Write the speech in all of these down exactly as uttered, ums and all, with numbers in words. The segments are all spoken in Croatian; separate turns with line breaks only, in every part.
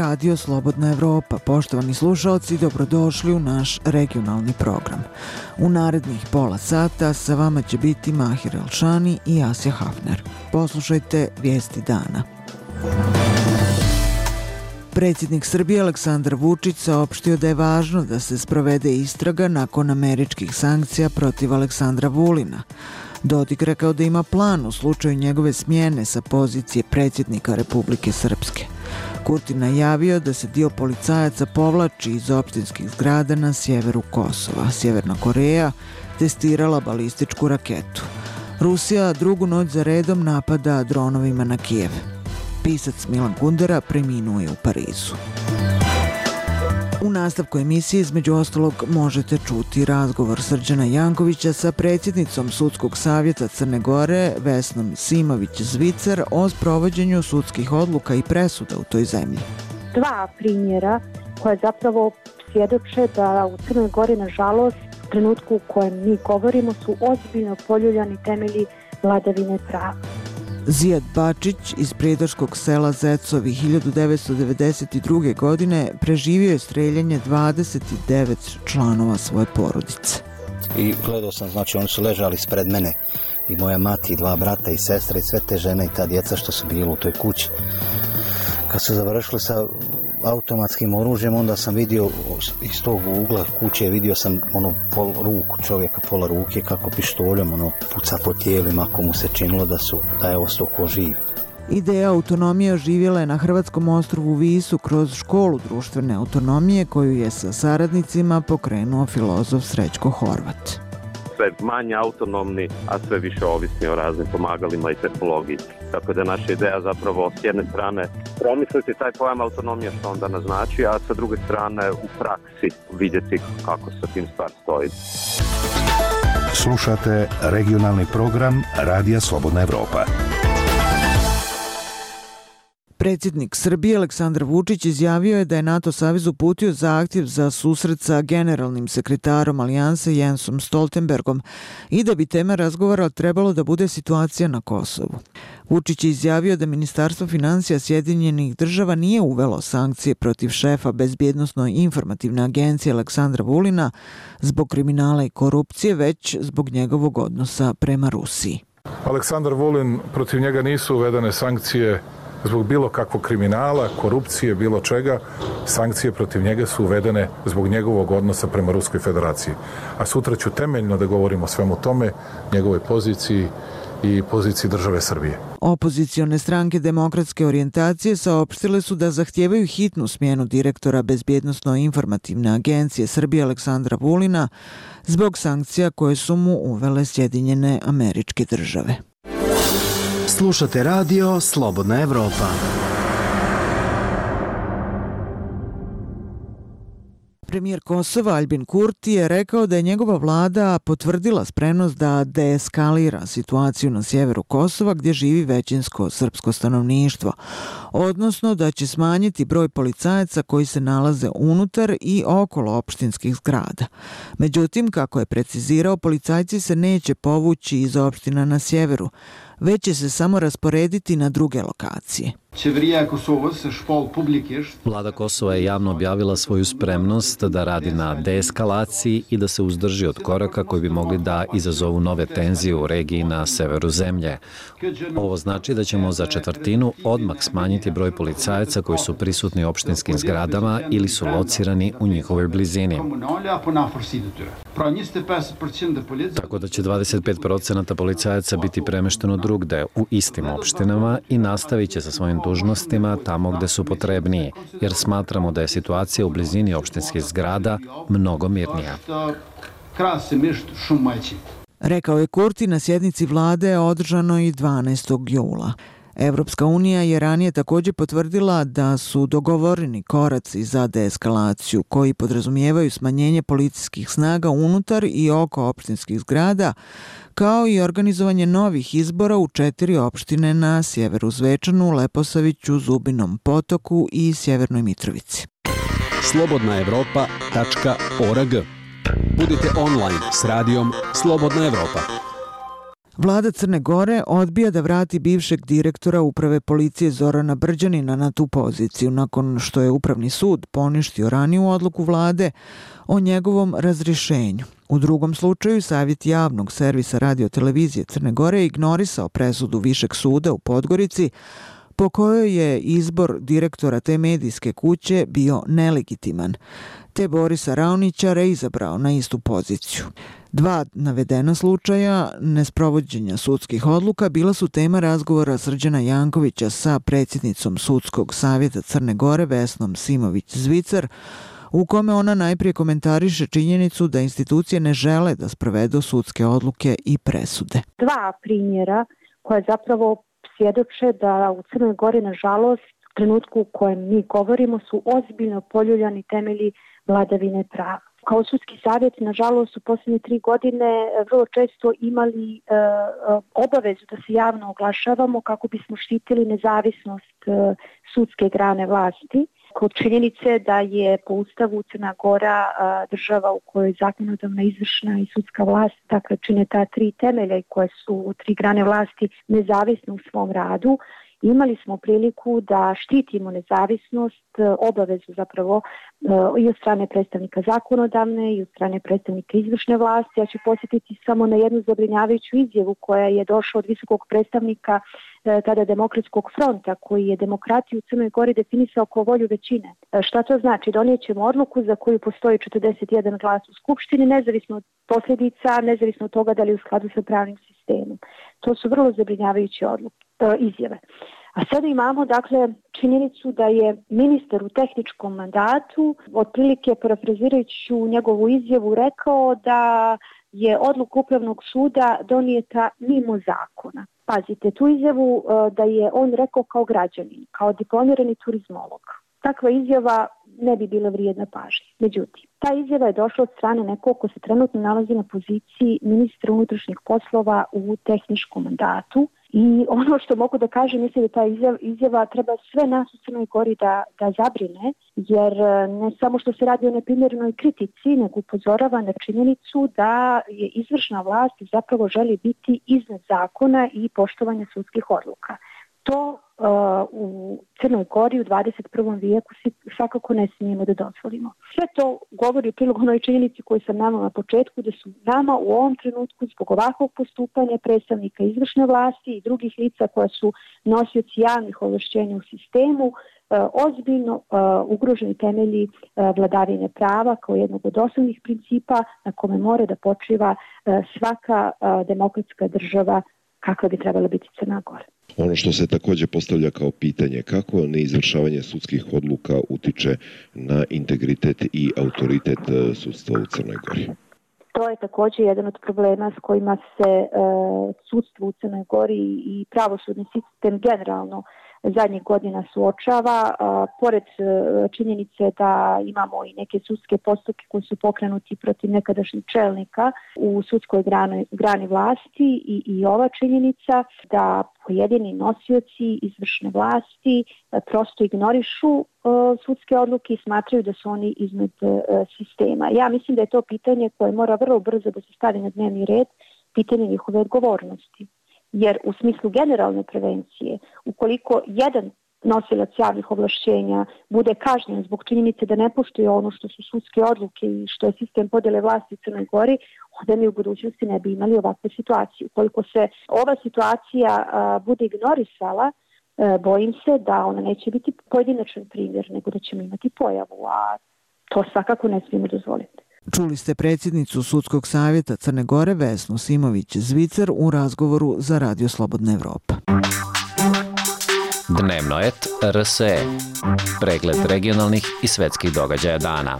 Radio Slobodna Evropa. Poštovani slušalci, dobrodošli u naš regionalni program. U narednih pola sata sa vama će biti Mahir Elšani i Asja Hafner. Poslušajte vijesti dana. Predsjednik Srbije Aleksandar Vučić saopštio da je važno da se sprovede istraga nakon američkih sankcija protiv Aleksandra Vulina. Dodik rekao da ima plan u slučaju njegove smjene sa pozicije predsjednika Republike Srpske. Kurti najavio da se dio policajaca povlači iz opštinskih zgrada na sjeveru Kosova. Sjeverna Koreja testirala balističku raketu. Rusija drugu noć za redom napada dronovima na Kijev. Pisac Milan Kundera preminuo je u Parizu. U nastavku emisije između ostalog možete čuti razgovor Srđana Jankovića sa predsjednicom Sudskog savjeta Crne Gore Vesnom Simović-Zvicer o sprovođenju sudskih odluka i presuda u toj zemlji.
Dva primjera koje zapravo svjedoče da u Crnoj Gori, nažalost, u trenutku u kojem mi govorimo, su ozbiljno poljuljani temelji vladavine prava.
Zijad Bačić iz prijedorskog sela Zecovi hiljadu devetsto devedeset druge. godine preživio je streljanje dvadeset devet članova svoje porodice.
I gledao sam, znači oni su ležali ispred mene i moja mati, i dva brata i sestre i sve te žene i ta djeca što su bili u toj kući. Kad su završili sa automatskim oružjem, onda sam vidio iz tog ugla kuće, vidio sam ono pol ruku čovjeka, pola ruke kako pištoljom ono puca po tijelima ako mu se činilo da su da je ostao ko živ.
Ideja autonomije oživjela je na hrvatskom ostrvu Visu kroz školu društvene autonomije koju je sa saradnicima pokrenuo filozof Srećko Horvat.
Sve manje autonomni, a sve više ovisni o raznim pomagalima i tehnologiji. Tako da naša ideja zapravo s jedne strane promisliti taj pojam autonomije što onda naznači, a sa druge strane u praksi vidjeti kako sa tim stvar stoji.
Slušate regionalni program Radija Slobodna Evropa.
Predsjednik Srbije Aleksandar Vučić izjavio je da je NATO savez uputio zahtjev za susret sa generalnim sekretarom Alijanse Jensom Stoltenbergom i da bi tema razgovora trebalo da bude situacija na Kosovu. Vučić je izjavio da Ministarstvo financija Sjedinjenih država nije uvelo sankcije protiv šefa Bezbjednosno-informativne agencije Aleksandra Vulina zbog kriminala i korupcije, već zbog njegovog odnosa prema Rusiji.
Aleksandar Vulin, protiv njega nisu uvedene sankcije zbog bilo kakvog kriminala, korupcije, bilo čega. Sankcije protiv njega su uvedene zbog njegovog odnosa prema Ruskoj federaciji. A sutra ću temeljno da govorim o svemu tome, njegovoj poziciji i poziciji države Srbije.
Opozicione stranke demokratske orijentacije saopštile su da zahtijevaju hitnu smjenu direktora Bezbjednosno-informativne agencije Srbije Aleksandra Vulina zbog sankcija koje su mu uvele Sjedinjene Američke Države.
Slušate radio Slobodna Evropa.
Premijer Kosova Aljbin Kurti je rekao da je njegova vlada potvrdila spremnost da deeskalira situaciju na sjeveru Kosova gdje živi većinsko srpsko stanovništvo, odnosno da će smanjiti broj policajaca koji se nalaze unutar i okolo opštinskih zgrada. Međutim, kako je precizirao, policajci se neće povući iz opština na sjeveru, već će se samo rasporediti na druge lokacije.
Vlada Kosova je javno objavila svoju spremnost da radi na deeskalaciji i da se uzdrži od koraka koji bi mogli da izazovu nove tenzije u regiji na severu zemlje. Ovo znači da ćemo za četvrtinu odmah smanjiti broj policajaca koji su prisutni u opštinskim zgradama ili su locirani u njihovoj blizini. Tako da će dvadeset pet procenata policajaca biti premešteno drugde u istim opštinama i nastavit će sa svojim dužnostima tamo gde su potrebniji, jer smatramo da je situacija u blizini opštinskih zgrada mnogo mirnija.
Rekao je Kurti na sjednici vlade održanoj dvanaestog jula. Evropska unija je ranije također potvrdila da su dogovoreni koraci za deeskalaciju koji podrazumijevaju smanjenje policijskih snaga unutar i oko opštinskih zgrada, kao i organizovanje novih izbora u četiri opštine na sjeveru Zvečanu, Leposaviću, Zubinom Potoku i Sjevernoj Mitrovici.
slobodna evropa tačka org. Budite online s radijom Slobodna Evropa.
Vlada Crne Gore odbija da vrati bivšeg direktora uprave policije Zorana Brđanina na tu poziciju nakon što je Upravni sud poništio raniju odluku vlade o njegovom razrješenju. U drugom slučaju, Savjet javnog servisa radiotelevizije Crne Gore ignorisao presudu Višeg suda u Podgorici po kojoj je izbor direktora te medijske kuće bio nelegitiman, te Borisa Raonića reizabrao na istu poziciju. Dva navedena slučaja nesprovođenja sudskih odluka bila su tema razgovora Srđana Jankovića sa predsjednicom Sudskog savjeta Crne Gore Vesnom Simović-Zvicer, u kome ona najprije komentariše činjenicu da institucije ne žele da sprovedu sudske odluke i presude.
Dva primjera koje zapravo svjedoče da u Crnoj Gori, nažalost, u trenutku u kojem mi govorimo, su ozbiljno poljuljani temelji vladavine prava. Kao Sudski savjet, nažalost, u posljednje tri godine vrlo često imali e, obavezu da se javno oglašavamo kako bismo štitili nezavisnost e, sudske grane vlasti. Kod činjenice da je po Ustavu Crna Gora a, država u kojoj zakonodavna, izvršna i sudska vlast, dakle čine ta tri temelja i koje su tri grane vlasti nezavisne u svom radu, imali smo priliku da štitimo nezavisnost, obavezu zapravo i od strane predstavnika zakonodavne i od strane predstavnika izvršne vlasti. Ja ću posjetiti samo na jednu zabrinjavajuću izjavu koja je došla od visokog predstavnika tada Demokratskog fronta, koji je demokratiju u Crnoj Gori definisao kao volju većine. Šta to znači? Donijet ćemo odluku za koju postoji četrdeset jedan glas u Skupštini, nezavisno od posljedica, nezavisno od toga da li je u skladu sa pravnim sistemom. To su vrlo zabrinjavajuće odluke, izjave. A sada imamo, dakle, činjenicu da je ministar u tehničkom mandatu, otprilike parafrazirajući njegovu izjavu, rekao da je odluka Upravnog suda donijeta mimo zakona. Pazite, tu izjavu da je on rekao kao građanin, kao diplomirani turizmolog. Takva izjava ne bi bila vrijedna pažnje. Međutim, ta izjava je došla od strane nekog ko se trenutno nalazi na poziciji ministra unutrašnjih poslova u tehničkom mandatu. I ono što mogu da kažem, mislim da ta izjava, izjava treba sve nas u Crnoj Gori da, da zabrine, jer ne samo što se radi o neprimjerenoj kritici, nego upozorava na činjenicu da je izvršna vlast zapravo želi biti iznad zakona i poštovanja sudskih odluka. To uh, u Crnoj Gori u dvadeset prvom vijeku svakako ne smijemo da dozvolimo. Sve to govori u prilog onoj činjenici koju sam navela na početku, da su nama u ovom trenutku zbog ovakvog postupanja predstavnika izvršne vlasti i drugih lica koja su nosioci javnih ovlašćenja u sistemu uh, ozbiljno uh, ugroženi temelji uh, vladavine prava kao jednog od osnovnih principa na kome mora da počiva uh, svaka uh, demokratska država kakva bi trebala biti Crna Gora.
Ono što se također postavlja kao pitanje, kako neizvršavanje sudskih odluka utiče na integritet i autoritet sudstva u Crnoj Gori?
To je također jedan od problema s kojima se e, sudstvo u Crnoj Gori i pravosudni sistem generalno zadnjih godina suočava, a, pored a, činjenice da imamo i neke sudske postupke koji su pokrenuti protiv nekadašnjih čelnika u sudskoj grani, grani vlasti i, i ova činjenica da pojedini nosioci izvršne vlasti a, prosto ignorišu a, sudske odluke i smatraju da su oni iznad a, sistema. Ja mislim da je to pitanje koje mora vrlo brzo da se stavi na dnevni red, pitanje njihove odgovornosti. Jer u smislu generalne prevencije, ukoliko jedan nosilac javnih ovlašćenja bude kažnjen zbog činjenice da ne poštuje ono što su sudske odluke i što je sistem podjele vlasti u Crnoj Gori, onda mi u budućnosti ne bi imali ovakve situacije. Ukoliko se ova situacija a, bude ignorisala, a, bojim se da ona neće biti pojedinačan primjer, nego da ćemo imati pojavu, a to svakako ne smijemo dozvoliti.
Čuli ste predsjednicu Sudskog savjeta Crne Gore Vesnu Simović-Zvicer u razgovoru za Radio Slobodna Evropa.
Dnevnoet R S E. Pregled regionalnih i svetskih događaja dana.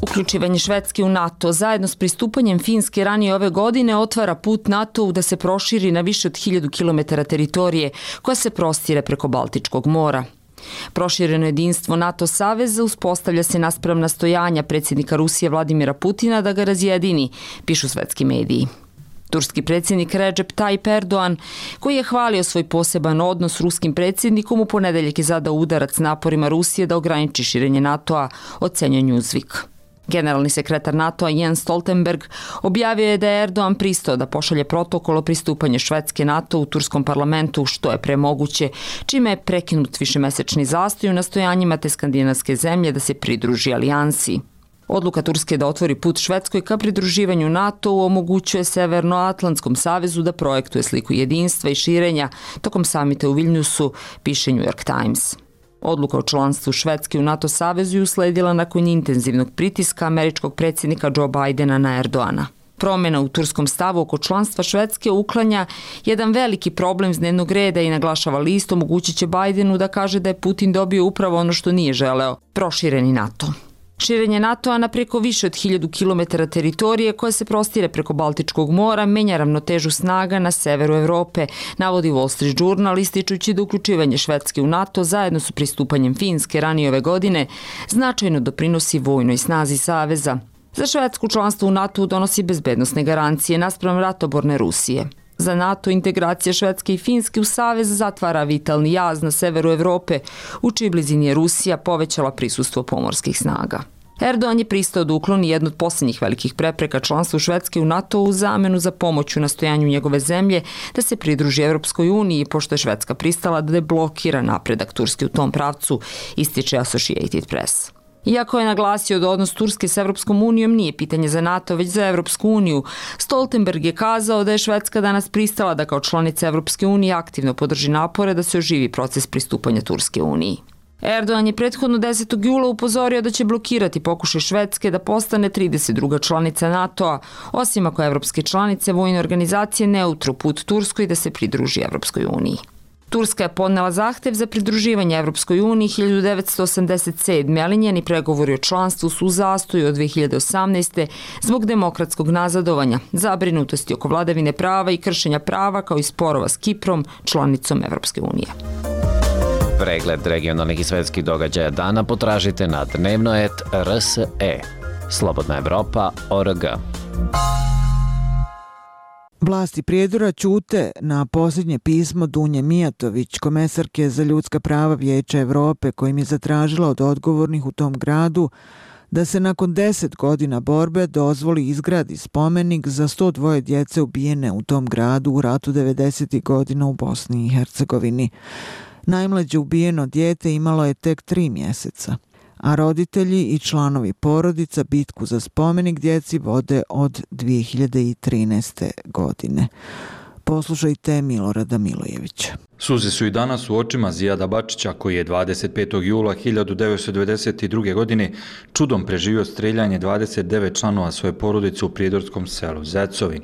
Uključivanje Švedske u NATO zajedno s pristupanjem Finske ranije ove godine otvara put NATO-u da se proširi na više od hiljadu kilometara teritorije koja se prostire preko Baltičkog mora. Prošireno jedinstvo NATO saveza uspostavlja se naspram nastojanja predsjednika Rusije Vladimira Putina da ga razjedini, pišu svetski mediji. Turski predsjednik Recep Tayyip Erdogan, koji je hvalio svoj poseban odnos s ruskim predsjednikom, u ponedeljak je zadao udarac naporima Rusije da ograniči širenje NATO-a, ocenjuje Newsweek. Generalni sekretar NATO-a Jens Stoltenberg objavio je da je Erdogan pristao da pošalje protokol o pristupanju Švedske NATO u turskom parlamentu što je pre moguće, čime je prekinut višemesečni zastoj u nastojanjima te skandinavske zemlje da se pridruži alijansi. Odluka Turske da otvori put Švedskoj ka pridruživanju NATO-u omogućuje Severnoatlantskom savezu da projektuje sliku jedinstva i širenja tokom samita u Vilniusu, piše New York Times. Odluka o članstvu Švedske u NATO savezu je usledila nakon intenzivnog pritiska američkog predsjednika Joe Bidena na Erdogana. Promjena u turskom stavu oko članstva Švedske uklanja jedan veliki problem s dnevnog reda i naglašava list omogućit će Bidenu da kaže da je Putin dobio upravo ono što nije želeo, prošireni NATO. Širenje NATO-a na preko više od hiljadu kilometara teritorije koje se prostire preko Baltičkog mora menja ravnotežu snaga na severu Evrope, navodi Wall Street Journal ističući da uključivanje Švedske u NATO zajedno s pristupanjem Finske ranije ove godine značajno doprinosi vojnoj snazi saveza. Za Švedsku članstvo u NATO donosi bezbednosne garancije naspram ratoborne Rusije. Za NATO integracija Švedske i Finske u savez zatvara vitalni jaz na severu Evrope, u čiji blizini je Rusija povećala prisustvo pomorskih snaga. Erdogan je pristao da ukloni jednu od posljednjih velikih prepreka članstvu Švedske u NATO u zamenu za pomoć u nastojanju njegove zemlje da se pridruži Evropskoj uniji, pošto je Švedska pristala da deblokira napredak Turske u tom pravcu, ističe Associated Press. Iako je naglasio da odnos Turske s Evropskom unijom nije pitanje za NATO, već za Evropsku uniju, Stoltenberg je kazao da je Švedska danas pristala da kao članica Evropske unije aktivno podrži napore da se oživi proces pristupanja Turske uniji. Erdogan je prethodno desetog jula upozorio da će blokirati pokušaj Švedske da postane trideset druga članica NATO-a, osim ako evropske članice vojne organizacije ne utru put Turskoj da se pridruži Evropskoj uniji. Turska je podnela zahtev za pridruživanje Evropskoj uniji hiljadu devetsto osamdeset sedme. ali njeni pregovori o članstvu su u zastoju od dve hiljade osamnaeste. zbog demokratskog nazadovanja, zabrinutosti oko vladavine prava i kršenja prava kao i sporova s Kiprom, članicom Evropske unije.
Pregled regionalnih i svetskih događaja dana potražite na dnevnoet R S E. Slobodna Evropa точка O R G.
Vlasti Prijedora ćute na posljednje pismo Dunje Mijatović, komesarke za ljudska prava Vijeća Evrope, kojim je zatražila od odgovornih u tom gradu da se nakon deset godina borbe dozvoli izgradi spomenik za sto dva djece ubijene u tom gradu u ratu devedesetih godina u Bosni i Hercegovini. Najmlađe ubijeno dijete imalo je tek tri mjeseca, a roditelji i članovi porodica bitku za spomenik djeci vode od dvije hiljade trinaeste. godine. Poslušajte Milorada Milojevića.
Suze su i danas u očima Zijada Bačića, koji je dvadeset petog jula hiljadu devetsto devedeset druge. godine čudom preživio streljanje dvadeset devet članova svoje porodice u prijedorskom selu Zecovi.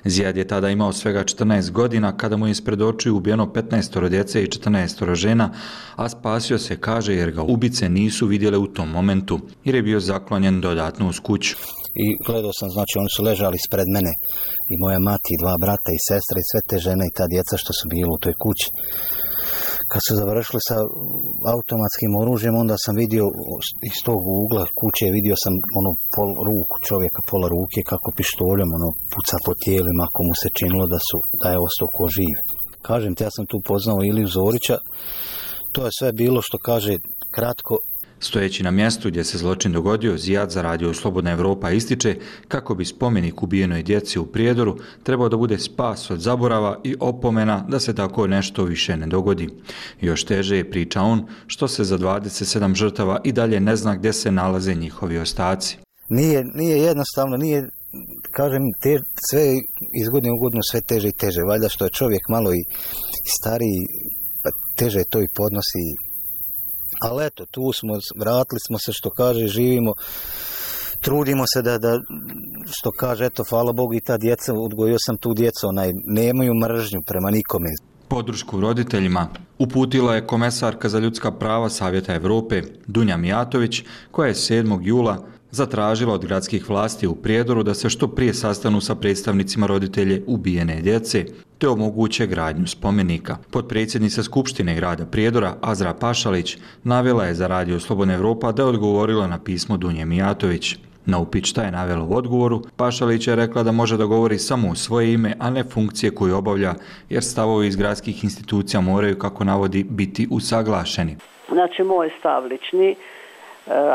Zijad je tada imao svega četrnaest godina kada mu je ispred očiju ubijeno petnaestoro djece i četrnaestoro žena, a spasio se, kaže, jer ga ubice nisu vidjele u tom momentu, jer je bio zaklonjen dodatno uz kuću.
I gledao sam, znači oni su ležali ispred mene i moja mati i dva brata i sestra i sve te žene i ta djeca što su bili u toj kući. Kad su završili sa automatskim oružjem, onda sam vidio iz tog ugla kuće, vidio sam ono pol ruku čovjeka, pola ruke kako pištoljem ono puca po tijelima ako mu se činilo da, su, da je ostao ko živ. Kažem ti, ja sam tu poznao Iliju Zorića, to je sve bilo što kaže kratko.
Stojeći na mjestu gdje se zločin dogodio, Zijad za radio Slobodna Evropa ističe kako bi spomenik ubijenoj djeci u Prijedoru trebao da bude spas od zaborava i opomena da se tako nešto više ne dogodi. Još teže je, priča on, što se za dvadeset sedam žrtava i dalje ne zna gdje se nalaze njihovi ostaci.
Nije, nije jednostavno, nije, kažem, te, sve iz godine u godinu sve teže i teže. Valjda što je čovjek malo i stariji, teže to i podnosi. Ali eto, tu smo, vratili smo se, što kaže, živimo, trudimo se da, da što kaže, eto, hvala Bogu i ta djeca, odgojio sam tu djecu, onaj, nemaju mržnju prema nikome.
Podršku roditeljima uputila je komesarka za ljudska prava Savjeta Evrope Dunja Mijatović, koja je sedmog jula zatražila od gradskih vlasti u Prijedoru da se što prije sastanu sa predstavnicima roditelje ubijene djece, te omoguće gradnju spomenika. Potpredsjednica Skupštine grada Prijedora Azra Pašalić navela je za radio Slobodna Evropa da je odgovorila na pismo Dunje Mijatović. Na upit šta je navela u odgovoru, Pašalić je rekla da može da govori samo u svoje ime, a ne funkcije koju obavlja, jer stavovi iz gradskih institucija moraju, kako navodi, biti usaglašeni.
Znači, moj stav lični,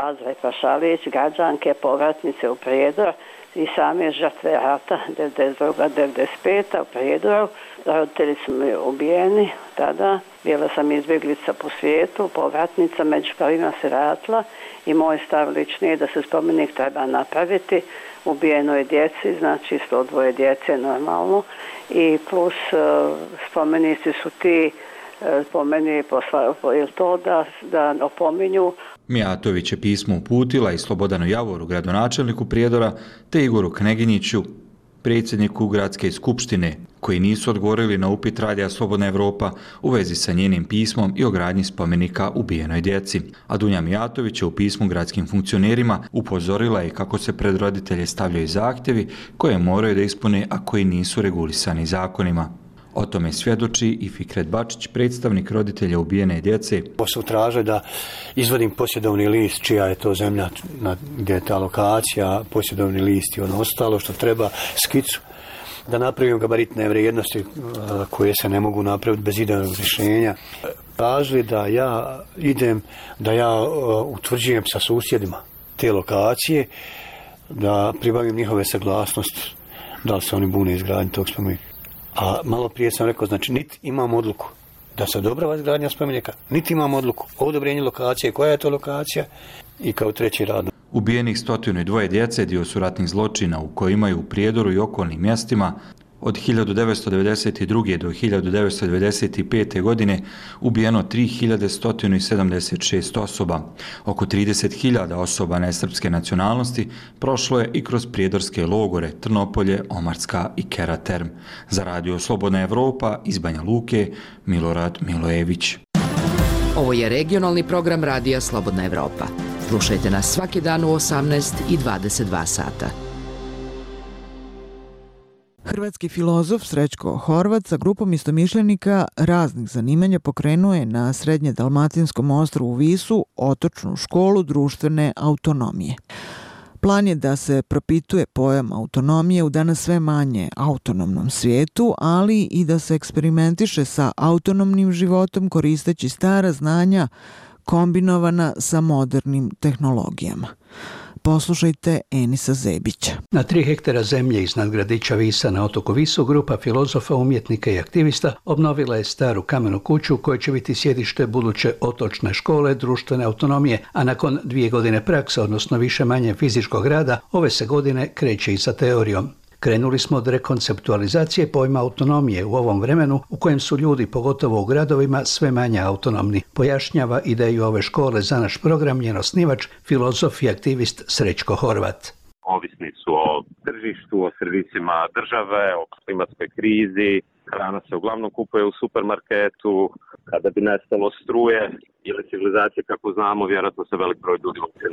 Azra Pašalić, građanke, povratnice u Prijedor i same žrtve rata devedeset druga devedeset peta u Prijedoru. Roditelji su mi ubijeni tada. Bila sam izbjeglica po svijetu, povratnica, među prvima se vratila i moj stav lični je da se spomenik treba napraviti. Ubijeno je djeci, znači sto dvoje djece normalno i plus spomenici su ti po meni poslaju to da, da opominju.
Mijatović je pismo uputila i Slobodanu Javoru, gradonačelniku Prijedora, te Igoru Kneginjiću, predsjedniku Gradske skupštine, koji nisu odgovorili na upit Radija Slobodna Evropa u vezi sa njenim pismom i o gradnji spomenika ubijenoj djeci. A Dunja Mijatović je u pismu gradskim funkcionerima upozorila i kako se pred roditelje stavljaju zahtjevi koje moraju da ispune, a koji nisu regulisani zakonima. O tome svjedoči i Fikret Bačić, predstavnik roditelja ubijene djece.
Su tražili da izvodim posjedovni list, čija je to zemlja, gdje je ta lokacija, posjedovni list i ono ostalo što treba, skicu, da napravim gabaritne vrijednosti koje se ne mogu napraviti bez idejnog rješenja. Tražili da ja idem, da ja utvrđujem sa susjedima te lokacije, da pribavim njihove saglasnosti, da li se oni bune izgradnji tog spomenika. A malo prije sam rekao, znači niti imam odluku da se odobrava izgradnja spomenika, niti imam odluku o odobrenju lokacije, koja je to lokacija i kao treći rad.
Ubijenih stotinu i dvoje djece dio su ratnih zločina u kojima je u Prijedoru i okolnim mjestima od hiljadu devetsto devedeset druge. do hiljadu devetsto devedeset pete. godine ubijeno tri hiljade sto sedamdeset šest osoba. Oko trideset hiljada osoba nesrpske nacionalnosti prošlo je i kroz prijedorske logore Trnopolje, Omarska i Keraterm. Za Radio Slobodna Evropa iz Banja Luke, Milorad Milojević.
Ovo je regionalni program Radija Slobodna Evropa. Slušajte nas svaki dan u osamnaest i dvadeset dva sata.
Hrvatski filozof Srećko Horvat sa grupom istomišljenika raznih zanimanja pokrenuo je na srednje dalmatinskom ostrvu Visu otočnu školu društvene autonomije. Plan je da se propituje pojam autonomije u danas sve manje autonomnom svijetu, ali i da se eksperimentiše sa autonomnim životom koristeći stara znanja kombinovana sa modernim tehnologijama. Poslušajte Enisa Zebića.
Na tri hektara zemlje iznad gradića Visa na otoku Visu grupa filozofa, umjetnika i aktivista obnovila je staru kamenu kuću koja će biti sjedište buduće otočne škole društvene autonomije, a nakon dvije godine prakse, odnosno više manje fizičkog rada, ove se godine kreće i sa teorijom. Krenuli smo od rekonceptualizacije pojma autonomije u ovom vremenu u kojem su ljudi, pogotovo u gradovima, sve manje autonomni. Pojašnjava ideju ove škole za naš program njen osnivač, filozof i aktivist Srećko Horvat.
Ovisni su o tržištu, o servisima države, o klimatskoj krizi. Hrana se uglavnom kupuje u supermarketu. Kada bi nestalo struje ili civilizacije, kako znamo, vjerojatno se velik broj ljudi uopće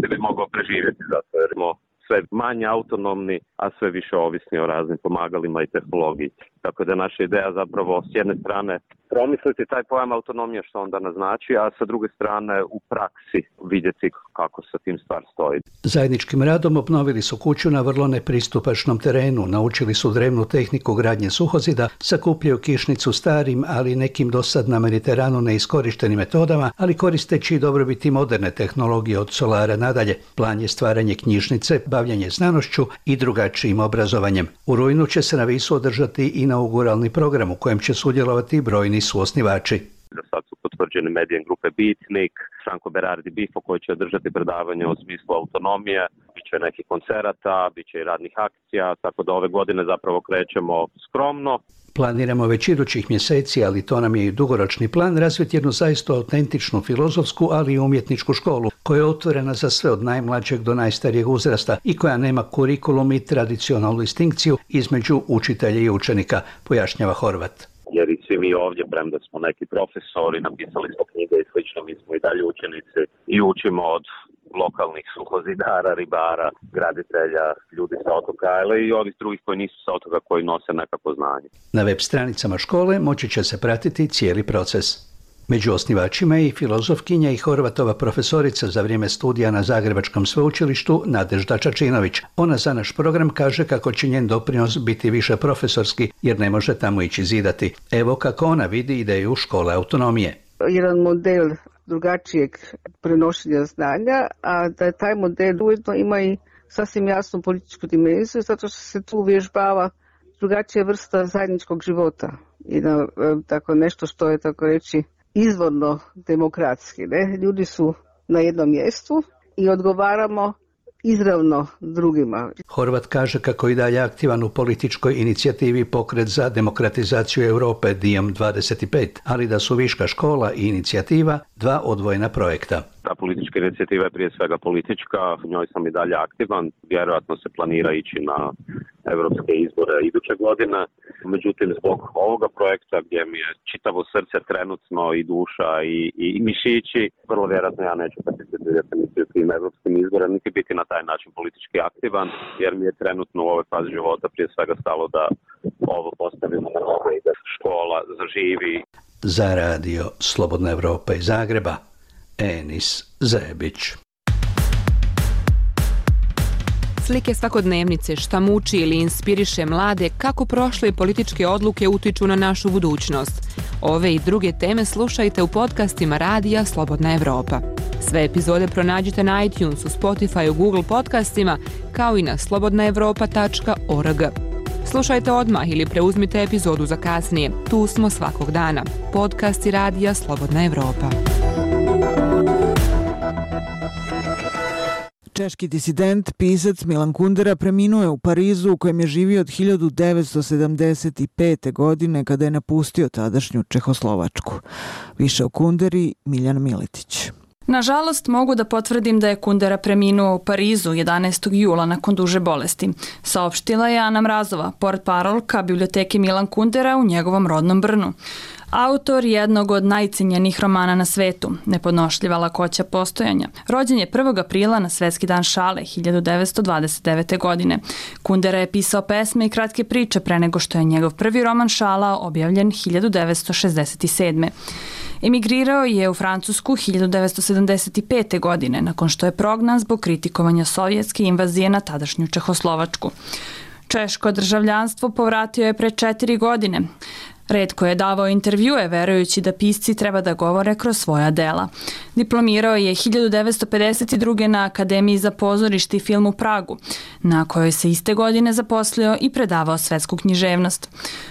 ne bi mogao preživjeti, zato jer smo sve manje autonomni, a sve više ovisni o raznim pomagalima i tehnologiji. Tako da naša ideja zapravo s jedne strane promisliti taj pojam autonomije što onda naznači, a sa druge strane u praksi vidjeti kako sa tim stvar stoji.
Zajedničkim radom obnovili su kuću na vrlo nepristupačnom terenu, naučili su drevnu tehniku gradnje suhozida, sakupljaju kišnicu starim, ali nekim dosad na Mediteranu neiskorištenim metodama, ali koristeći dobrobiti moderne tehnologije od solara nadalje. Plan je stvaranje knjižnice, bavljanje znanošću i drugačijim obrazovanjem. U rujnu će se na Visu održati inauguralni program u kojem će sudjelovati brojni suosnivači.
Da sad su potvrđeni Medijan grupe Bitnik, Franco Berardi Bifo koji će održati predavanje o smislu autonomije, bit će nekih koncerata, bit će i radnih akcija, tako da ove godine zapravo krećemo skromno.
Planiramo već idućih mjeseci, ali to nam je i dugoročni plan, razviti jednu zaista autentičnu filozofsku, ali i umjetničku školu, koja je otvorena za sve od najmlađeg do najstarijeg uzrasta i koja nema kurikulum i tradicionalnu distinkciju između učitelja i učenika, pojašnjava Horvat.
Jer i svi mi ovdje, premda smo neki profesori, napisali smo knjige i slično, mi smo i dalje učenici i učimo od lokalnih suhozidara, ribara, graditelja, ljudi sa otoka, ali i ovih drugih koji nisu sa otoka, koji nose nekako znanje.
Na web stranicama škole moći će se pratiti cijeli proces. Među osnivačima je i filozofkinja i Horvatova profesorica za vrijeme studija na Zagrebačkom sveučilištu Nadežda Čačinović. Ona za naš program kaže kako će njen doprinos biti više profesorski jer ne može tamo ići zidati. Evo kako ona vidi ideju škole autonomije.
jedan model drugačijeg prenošenja znanja, a da taj model ujedno ima i sasvim jasnu političku dimenziju, zato što se tu uvježbava drugačija vrsta zajedničkog života i na, tako nešto što je, tako reći, izvorno demokratski. Ne? Ljudi su na jednom mjestu i odgovaramo izravno drugima.
Horvat kaže kako je dalje aktivan u političkoj inicijativi Pokret za demokratizaciju Europe D I E M dvadeset pet, ali da su Viška škola i inicijativa dva odvojena projekta.
Ta politička inicijativa je prije svega politička, u njoj sam i dalje aktivan, vjerojatno se planira ići na evropske izbore iduće godine. Međutim, zbog ovoga projekta gdje mi je čitavo srce trenutno i duša i, i, i mišići, vrlo vjerojatno ja neću participirati niti u tim evropskim izborima, niti biti na taj način politički aktivan, jer mi je trenutno u ovoj fazi života prije svega stalo da ovo postavimo na noge i da škola zaživi.
Za radio Slobodna Evropa iz Zagreba, Enis Zebić.
Slike svakodnevnice šta muči ili inspiriše mlade kako prošle političke odluke utiču na našu budućnost. Ove i druge teme slušajte u podcastima Radija Slobodna Evropa. Sve epizode pronađite na iTunesu, Spotify, Google podcastima, kao i na slobodna evropa tačka org. Slušajte odmah ili preuzmite epizodu za kasnije. Tu smo svakog dana. Podcasti Radija Slobodna Evropa.
Češki disident, pisac Milan Kundera preminuo je u Parizu u kojem je živio od hiljadu devetsto sedamdeset pete. godine kada je napustio tadašnju Čehoslovačku. Više o Kunderi Miljan Miletić.
Nažalost, mogu da potvrdim da je Kundera preminuo u Parizu jedanaestog jula nakon duže bolesti. Saopštila je Ana Mrazova, portparolka biblioteke Milan Kundera u njegovom rodnom Brnu. Autor jednog od najcenjenijih romana na svetu, Nepodnošljiva lakoća postojanja. Rođen je prvog aprila na Svetski dan šale hiljadu devetsto dvadeset devete. godine. Kundera je pisao pesme i kratke priče pre nego što je njegov prvi roman Šala objavljen hiljadu devetsto šezdeset sedme. Emigrirao je u Francusku hiljadu devetsto sedamdeset pete. godine, nakon što je prognan zbog kritikovanja sovjetske invazije na tadašnju Čehoslovačku. Češko državljanstvo povratio je pre četiri godine. Retko je davao intervjue verujući da pisci treba da govore kroz svoja dela. Diplomirao je hiljadu devetsto pedeset druge. na Akademiji za pozorište i film u Pragu, na kojoj se iste godine zaposlio i predavao svetsku književnost.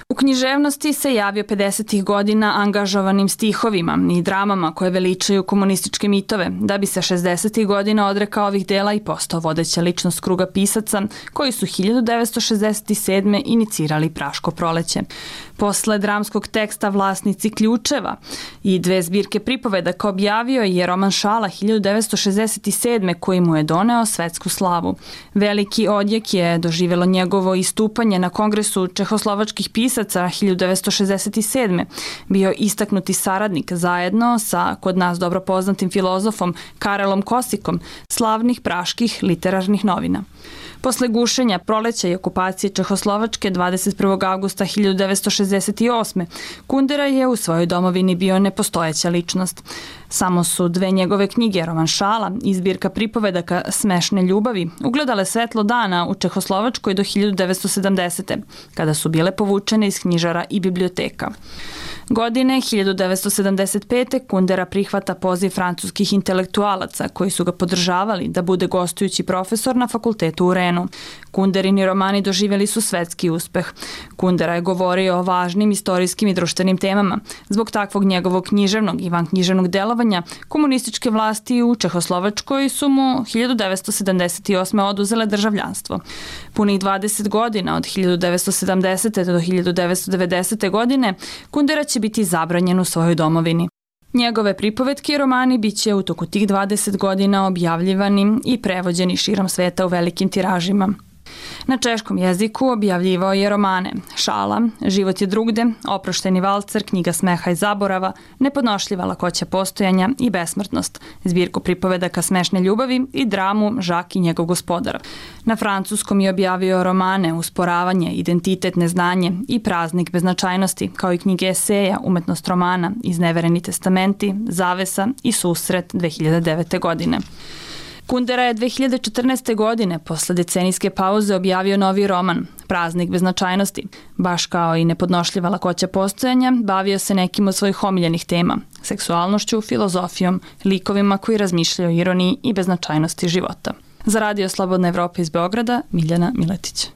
U književnosti se javio pedesetih godina angažovanim stihovima i dramama koje veličaju komunističke mitove, da bi se šezdesetih godina odrekao ovih dela i postao vodeća ličnost kruga pisaca koji su hiljadu devetsto šezdeset sedme. inicirali Praško proleće. Posle dramskog teksta Vlasnici ključeva i dve zbirke pripovedaka objavio je roman Šala hiljadu devetsto šezdeset sedme. koji mu je doneo svetsku slavu. Veliki odjek je doživjelo njegovo istupanje na Kongresu čehoslovačkih pisaca hiljadu devetsto šezdeset sedme. Bio istaknuti saradnik zajedno sa kod nas dobro poznatim filozofom Karelom Kosikom slavnih praških literarnih novina. Posle gušenja, proleća i okupacije Čehoslovačke dvadeset prvog avgusta hiljadu devetsto šezdeset osme. Kundera je u svojoj domovini bio nepostojeća ličnost. Samo su dve njegove knjige, roman Šala i zbirka pripovedaka Smešne ljubavi, ugledale svetlo dana u Čehoslovačkoj do hiljadu devetsto sedamdesete. kada su bile povučene iz knjižara i biblioteka. Godine hiljadu devetsto sedamdeset pete. Kundera prihvata poziv francuskih intelektualaca koji su ga podržavali da bude gostujući profesor na fakultetu u Renu. Kunderini romani doživjeli su svetski uspeh. Kundera je govorio o važnim istorijskim i društvenim temama. Zbog takvog njegovog književnog i vanknjiževnog delovanja, komunističke vlasti u Čehoslovačkoj su mu hiljadu devetsto sedamdeset osme. oduzele državljanstvo. Punih dvadeset godina, od hiljadu devetsto sedamdesete. do hiljadu devetsto devedesete. godine, Kundera će biti zabranjen u svojoj domovini. Njegove pripovetke i romani bit će u toku tih dvadeset godina objavljivani i prevođeni širom sveta u velikim tiražima. Na češkom jeziku objavljivao je romane Šala, Život je drugde, Oprošteni valcer, Knjiga smeha i zaborava, Nepodnošljiva lakoća postojanja i Besmrtnost, zbirku pripovedaka Smešne ljubavi i dramu Žak i njegov gospodar. Na francuskom je objavio romane Usporavanje, Identitet, neznanje i Praznik beznačajnosti, kao i knjige eseja, Umetnost romana, Iznevereni testamenti, Zavesa i Susret dve hiljade devete. godine. Kundera je dve hiljade četrnaeste. godine, posle decenijske pauze, objavio novi roman, Praznik beznačajnosti. Baš kao i nepodnošljiva lakoća postojanja, bavio se nekim od svojih omiljenih tema, seksualnošću, filozofijom, likovima koji razmišljaju o ironiji i beznačajnosti života. Za Radio Slobodna Evropa iz Beograda, Miljana Miletić.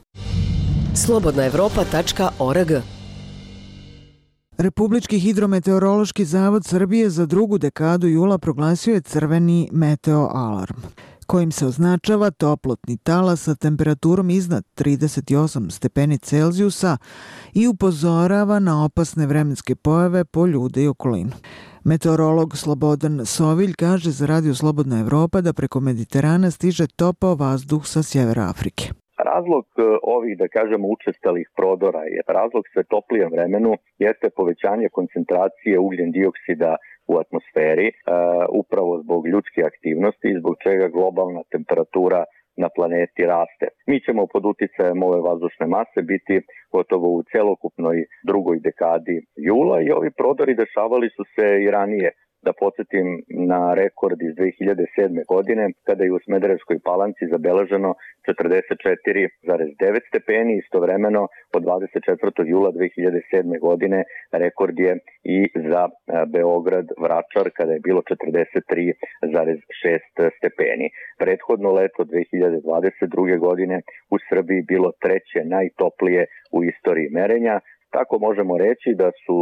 slobodna evropa tačka org.
Republički hidrometeorološki zavod Srbije za drugu dekadu jula proglasio je crveni meteo alarm, kojim se označava toplotni talas sa temperaturom iznad trideset osam stepeni Celzijusa i upozorava na opasne vremenske pojave po ljude i okolinu. Meteorolog Slobodan Sovilj kaže za Radio Slobodna Evropa da preko Mediterana stiže topao vazduh sa sjevera Afrike.
Razlog ovih, da kažemo, učestalih prodora je razlog sve toplijem vremenu jeste povećanje koncentracije ugljen dioksida u atmosferi, uh, upravo zbog ljudske aktivnosti i zbog čega globalna temperatura na planeti raste. Mi ćemo pod uticajem ove vazdušne mase biti gotovo u celokupnoj drugoj dekadi jula i ovi prodori dešavali su se i ranije. Da podsjetim na rekord iz dve hiljade sedme. godine kada je u Smederevskoj Palanci zabeleženo četrdeset četiri zarez devet stepeni, istovremeno od dvadeset četvrtog jula dve hiljade sedme. godine rekord je i za Beograd Vračar kada je bilo četrdeset tri zarez šest stepeni. Prethodno leto dve hiljade dvadeset druge. godine u Srbiji bilo treće najtoplije u istoriji merenja. Tako možemo reći da su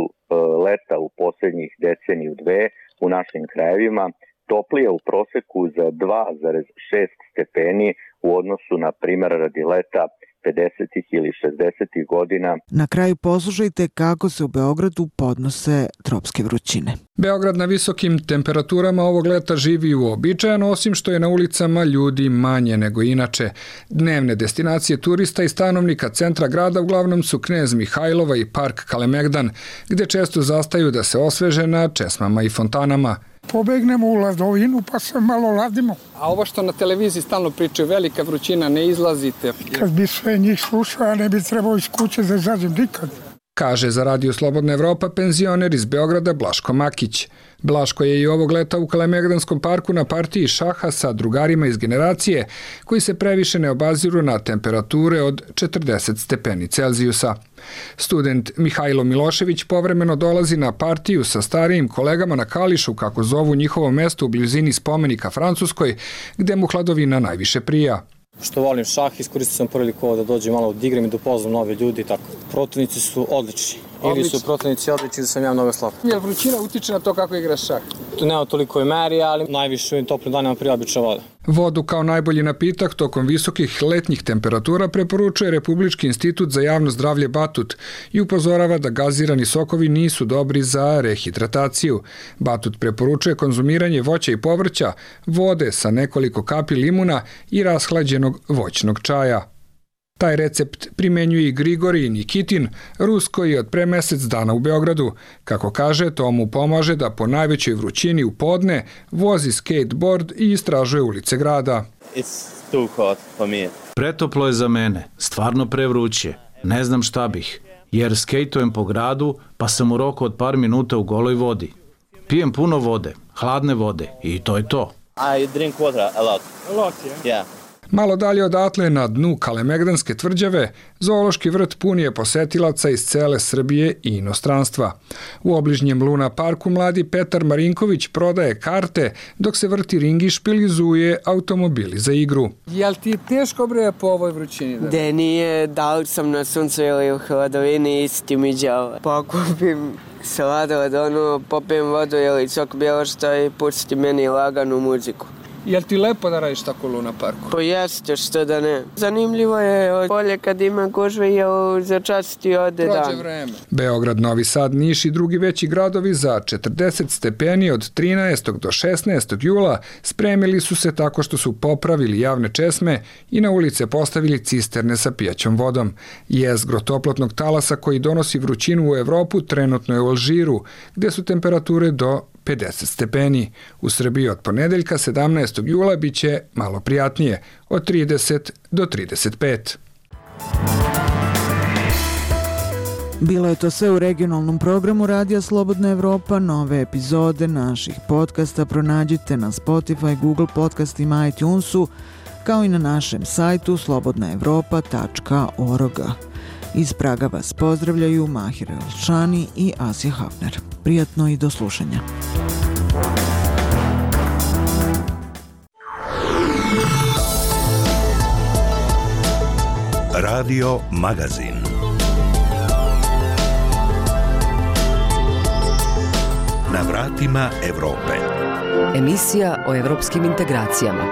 leta u posljednjih deceniju dve u našim krajevima toplije u proseku za dva zarez šest stepeni u odnosu na primjer radi leta pedesetih ili šezdesetih godina.
Na kraju poslušajte kako se u Beogradu podnose tropske vrućine.
Beograd na visokim temperaturama ovog leta živi uobičajeno, osim što je na ulicama ljudi manje nego inače. Dnevne destinacije turista i stanovnika centra grada uglavnom su Knez Mihajlova i park Kalemegdan, gde često zastaju da se osveže na česmama i fontanama.
Pobegnemo u ladovinu pa se malo ladimo.
A ovo što na televiziji stalno pričaju, velika vrućina, ne izlazite.
Kad bi sve njih slušao, ja ne bi trebao iz kuće da izađem nikad.
Kaže za Radio Slobodna Evropa penzioner iz Beograda Blaško Makić. Blaško je i ovog leta u Kalemegdanskom parku na partiji šaha sa drugarima iz generacije koji se previše ne obaziru na temperature od četrdeset stepeni Celzijusa. Student Mihajlo Milošević povremeno dolazi na partiju sa starijim kolegama na Kališu, kako zovu njihovo mesto u blizini spomenika Francuskoj, gde mu hladovina najviše prija.
Što volim šah, iskoristio sam priliku ovo da dođem malo da igram i da upoznam nove ljudi i tako. Protivnici su odlični. Ili su protivnici odlični da sam ja mnogo slab.
Jel vrućina utiče na to kako igraš šah?
Tu nema toliko i meri, ali najviše u ovim toplim danima prija obična voda.
Vodu kao najbolji napitak tokom visokih letnjih temperatura preporučuje Republički institut za javno zdravlje Batut i upozorava da gazirani sokovi nisu dobri za rehidrataciju. Batut preporučuje konzumiranje voća i povrća, vode sa nekoliko kapi limuna i rashlađenog voćnog čaja. Taj recept primenjuje i Grigorij Nikitin, Rus koji je od pre mesec dana u Beogradu. Kako kaže, to mu pomaže da po najvećoj vrućini u podne vozi skateboard i istražuje ulice grada.
It's too hot for me.
Pretoplo je za mene, stvarno prevruće. Ne znam šta bih, jer skejtujem po gradu pa sam u roku od par minuta u goloj vodi. Pijem puno vode, hladne vode i to je to.
I drink water a lot.
A lot, yeah.
Yeah.
Malo dalje odatle, na dnu Kalemegdanske tvrđave, zoološki vrt pun je posetilaca iz cele Srbije i inostranstva. U obližnjem Luna parku mladi Petar Marinković prodaje karte, dok se vrti ringišpil i zuje automobili za igru.
Jel ti teško bre po ovoj vrućini? Da?
De nije, da li sam na suncu ili u hladovini, isti mi đava. Pokupim sladoled, ono, popijem vodu ili sok bilo što i pusti meni laganu muziku.
Jel ti lepo da radiš tako u Luna parku?
Pa jeste, što da ne. Zanimljivo je bolje kad ima gužve, jer za čas ti ode dan.
Prođe vreme.
Beograd, Novi Sad, Niš i drugi veći gradovi za četrdeset stepeni od trinaestog do šesnaestog jula spremili su se tako što su popravili javne česme i na ulice postavili cisterne sa pijaćom vodom. Jezgro toplotnog talasa koji donosi vrućinu u Evropu trenutno je u Alžiru, gde su temperature do pedeset stepeni. U Srbiji od ponedeljka sedamnaestog jula bit će malo prijatnije, od trideset do trideset pet.
Bilo je to sve u regionalnom programu Radija Slobodna Evropa. Nove epizode naših podcasta pronađite na Spotify, Google podcastima, iTunesu, kao i na našem sajtu slobodna evropa tačka org. Iz Praga vas pozdravljaju Mahir Elšani i Asija Hafner. Prijatno i do slušanja.
Radio Magazin. Na vratima Evrope.
Emisija o evropskim integracijama.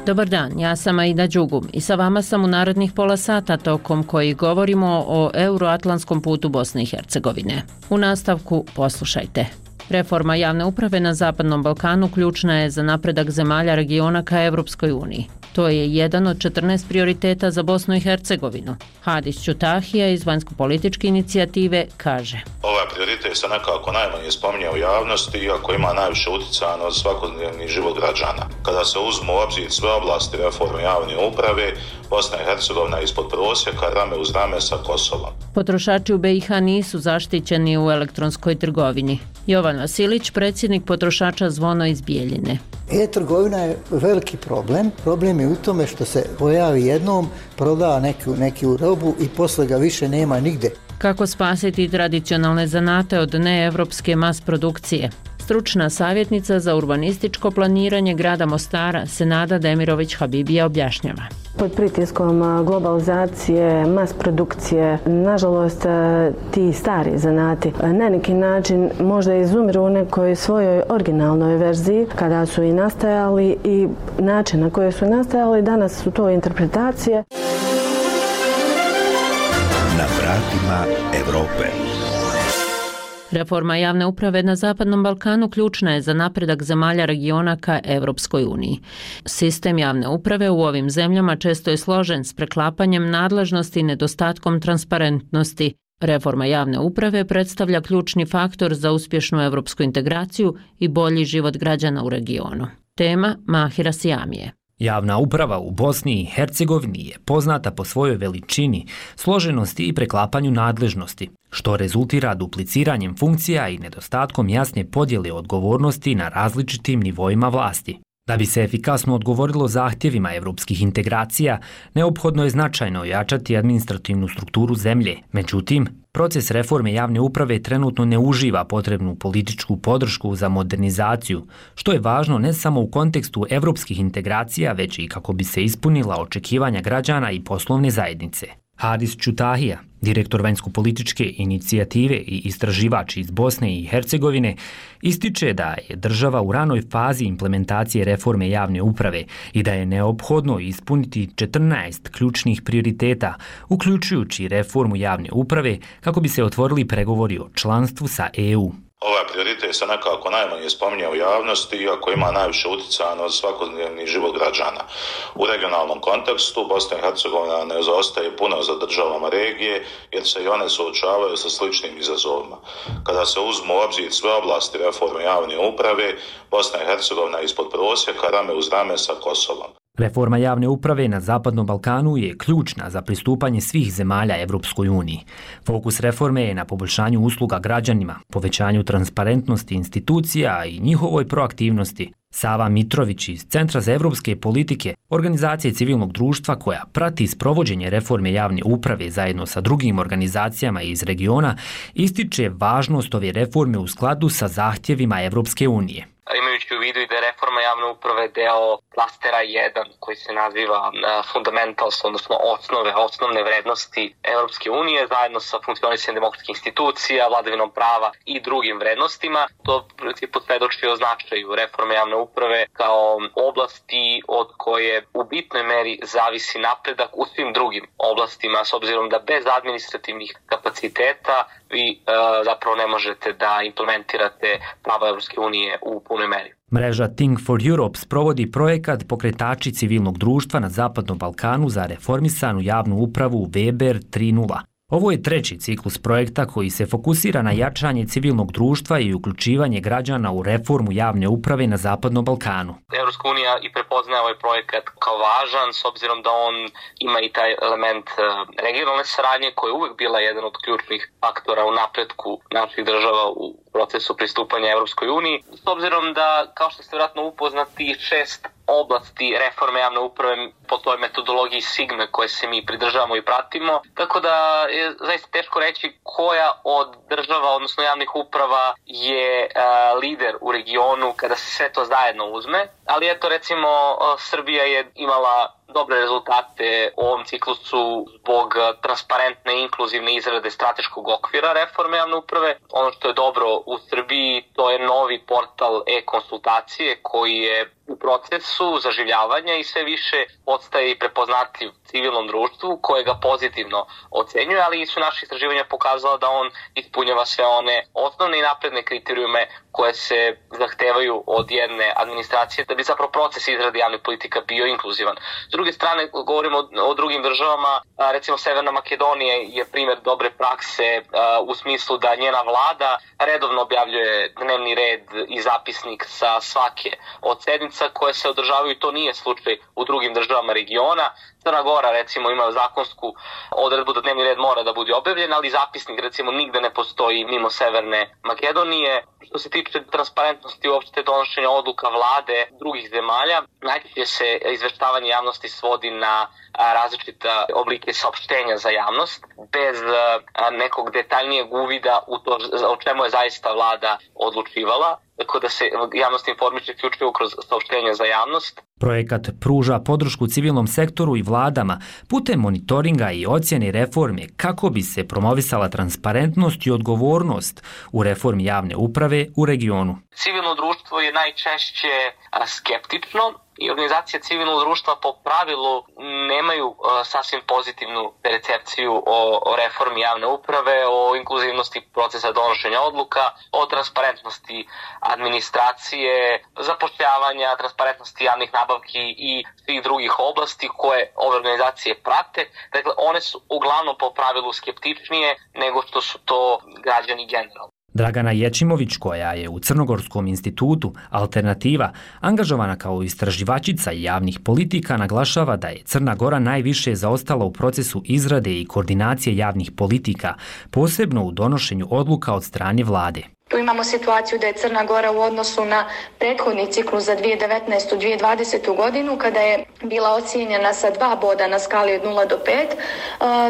Dobar dan, ja sam Aida Đugum i sa vama sam u narednih pola sata tokom koji govorimo o euroatlantskom putu Bosne i Hercegovine. U nastavku poslušajte. Reforma javne uprave na Zapadnom Balkanu ključna je za napredak zemalja regiona ka Evropskoj uniji. To je jedan od četrnaest prioriteta za Bosnu i Hercegovinu. Hadis Ćutahija iz vanjsko-političke inicijative kaže:
Ovaj prioritet se nekako najmanje spominje u javnosti, iako ima najviše utjecaja na svakodnevni život građana. Kada se uzmu u obzir sve oblasti reforme javne uprave, Bosna i Hercegovina je ispod prosjeka, rame uz rame sa Kosovom.
Potrošači u be i ha nisu zaštićeni u elektronskoj trgovini. Jovan Vasilić, predsjednik potrošača Zvono iz Bijeljine.
E-trgovina je veliki problem. Problem je u tome što se pojavi jednom, proda neku, neku robu i posle ga više nema nigde.
Kako spasiti tradicionalne zanate od neevropske mas produkcije? Stručna savjetnica za urbanističko planiranje grada Mostara, Senada Demirović-Habibija, objašnjava.
Pod pritiskom globalizacije, mas produkcije, nažalost ti stari zanati na neki način možda izumiru u nekoj svojoj originalnoj verziji kada su i nastajali i način na koji su nastajali, danas su to interpretacije.
Na vratima Evrope.
Reforma javne uprave na Zapadnom Balkanu ključna je za napredak zemalja regiona ka Evropskoj uniji. Sistem javne uprave u ovim zemljama često je složen s preklapanjem nadležnosti i nedostatkom transparentnosti. Reforma javne uprave predstavlja ključni faktor za uspješnu evropsku integraciju i bolji život građana u regionu. Tema Mahira Sijamije.
Javna uprava u Bosni i Hercegovini je poznata po svojoj veličini, složenosti i preklapanju nadležnosti, što rezultira dupliciranjem funkcija i nedostatkom jasne podjele odgovornosti na različitim nivoima vlasti. Da bi se efikasno odgovorilo zahtjevima evropskih integracija, neophodno je značajno ojačati administrativnu strukturu zemlje. Međutim, proces reforme javne uprave trenutno ne uživa potrebnu političku podršku za modernizaciju, što je važno ne samo u kontekstu evropskih integracija, već i kako bi se ispunila očekivanja građana i poslovne zajednice. Hadis Ćutahija, direktor vanjsko-političke inicijative i istraživač iz Bosne i Hercegovine, ističe da je država u ranoj fazi implementacije reforme javne uprave i da je neophodno ispuniti četrnaest ključnih prioriteta, uključujući reformu javne uprave, kako bi se otvorili pregovori o članstvu sa e u.
Ovaj prioritet se nekako najmanje spominje u javnosti, iako ima najviše utjecaja na svakodnevni život građana. U regionalnom kontekstu Bosna i Hercegovina ne zaostaje puno za državama regije, jer se i one suočavaju sa sličnim izazovima. Kada se uzmu u obzir sve oblasti reforme javne uprave, Bosna i Hercegovina je ispod prosjeka, rame uz rame sa Kosovom.
Reforma javne uprave na Zapadnom Balkanu je ključna za pristupanje svih zemalja Evropskoj uniji. Fokus reforme je na poboljšanju usluga građanima, povećanju transparentnosti institucija i njihovoj proaktivnosti. Sava Mitrović iz Centra za evropske politike, organizacije civilnog društva koja prati sprovođenje reforme javne uprave zajedno sa drugim organizacijama iz regiona, ističe važnost ove reforme u skladu sa zahtjevima Evropske unije.
Imajući u vidu i da je reforma javne uprave deo klastera jedan koji se naziva fundamentals, odnosno osnove, osnovne vrednosti Evropske unije, zajedno sa funkcionisanjem demokratskih institucija, vladavinom prava i drugim vrednostima. To principu svedoči o značaju reforme javne uprave kao oblasti od koje u bitnoj meri zavisi napredak u svim drugim oblastima, s obzirom da bez administrativnih kapaciteta vi uh, zapravo ne možete da implementirate prava Evropske unije u punoj meri.
Mreža Think for Europe sprovodi projekat Pokretači civilnog društva na Zapadnom Balkanu za reformisanu javnu upravu Weber tri nula. Ovo je treći ciklus projekta koji se fokusira na jačanje civilnog društva i uključivanje građana u reformu javne uprave na Zapadnom Balkanu.
Evropska unija i prepoznaje ovaj projekat kao važan s obzirom da on ima i taj element regionalne saradnje koja je uvek bila jedan od ključnih faktora u napretku naših država u procesu pristupanja Evropskoj uniji. S obzirom da, kao što ste vjerojatno upoznati, šest oblasti reforme javne uprave po toj metodologiji Sigme koje se mi pridržavamo i pratimo. Tako da je zaista teško reći koja od država, odnosno javnih uprava, je uh, lider u regionu kada se sve to zajedno uzme. Ali eto, recimo, uh, Srbija je imala dobre rezultate u ovom ciklusu zbog transparentne i inkluzivne izrade strateškog okvira reforme javne uprave. Ono što je dobro u Srbiji, to je novi portal e-konsultacije koji je u procesu zaživljavanja i sve više postaje i prepoznatljiv civilnom društvu koje ga pozitivno ocenjuje, ali su naše istraživanja pokazala da on ispunjava sve one osnovne i napredne kriterijume koje se zahtevaju od jedne administracije da bi zapravo proces izrade javnih politika bio inkluzivan. S druge strane, govorimo o, o drugim državama, recimo Severna Makedonija je primjer dobre prakse u smislu da njena vlada redovno objavljuje dnevni red i zapisnik sa svake od sednica koje se održavaju i to nije slučaj u drugim državama regiona. Crna Gora recimo ima zakonsku odredbu da dnevni red mora da bude objavljen, ali zapisnik recimo nigde ne postoji mimo Severne Makedonije. Što se tiče transparentnosti uopšte donošenja odluka vlade drugih zemalja, najčešće se izveštavanje javnosti svodi na različite oblike saopštenja za javnost, bez nekog detaljnijeg uvida u to o čemu je zaista vlada odlučivala, tako da se javnost informiše isključivo kroz saopštenja za javnost.
Projekat pruža podršku civilnom sektoru i vladama putem monitoringa i ocjene reforme kako bi se promovisala transparentnost i odgovornost u reformi javne uprave u regionu.
Civilno društvo je najčešće skeptično i organizacije civilnog društva po pravilu nemaju uh, sasvim pozitivnu percepciju o, o reformi javne uprave, o inkluzivnosti procesa donošenja odluka, o transparentnosti administracije, zapošljavanja, transparentnosti javnih nabavki i svih drugih oblasti koje ove organizacije prate. Dakle, one su uglavnom po pravilu skeptičnije nego što su to građani generalno.
Dragana Ječimović, koja je u Crnogorskom institutu Alternativa angažovana kao istraživačica javnih politika, naglašava da je Crna Gora najviše zaostala u procesu izrade i koordinacije javnih politika, posebno u donošenju odluka od strane vlade.
Tu imamo situaciju da je Crna Gora u odnosu na prethodni ciklus za dvije tisuće devetnaestu dvije tisuće dvadesete. godinu, kada je bila ocijenjena sa dva boda na skali od nula do pet,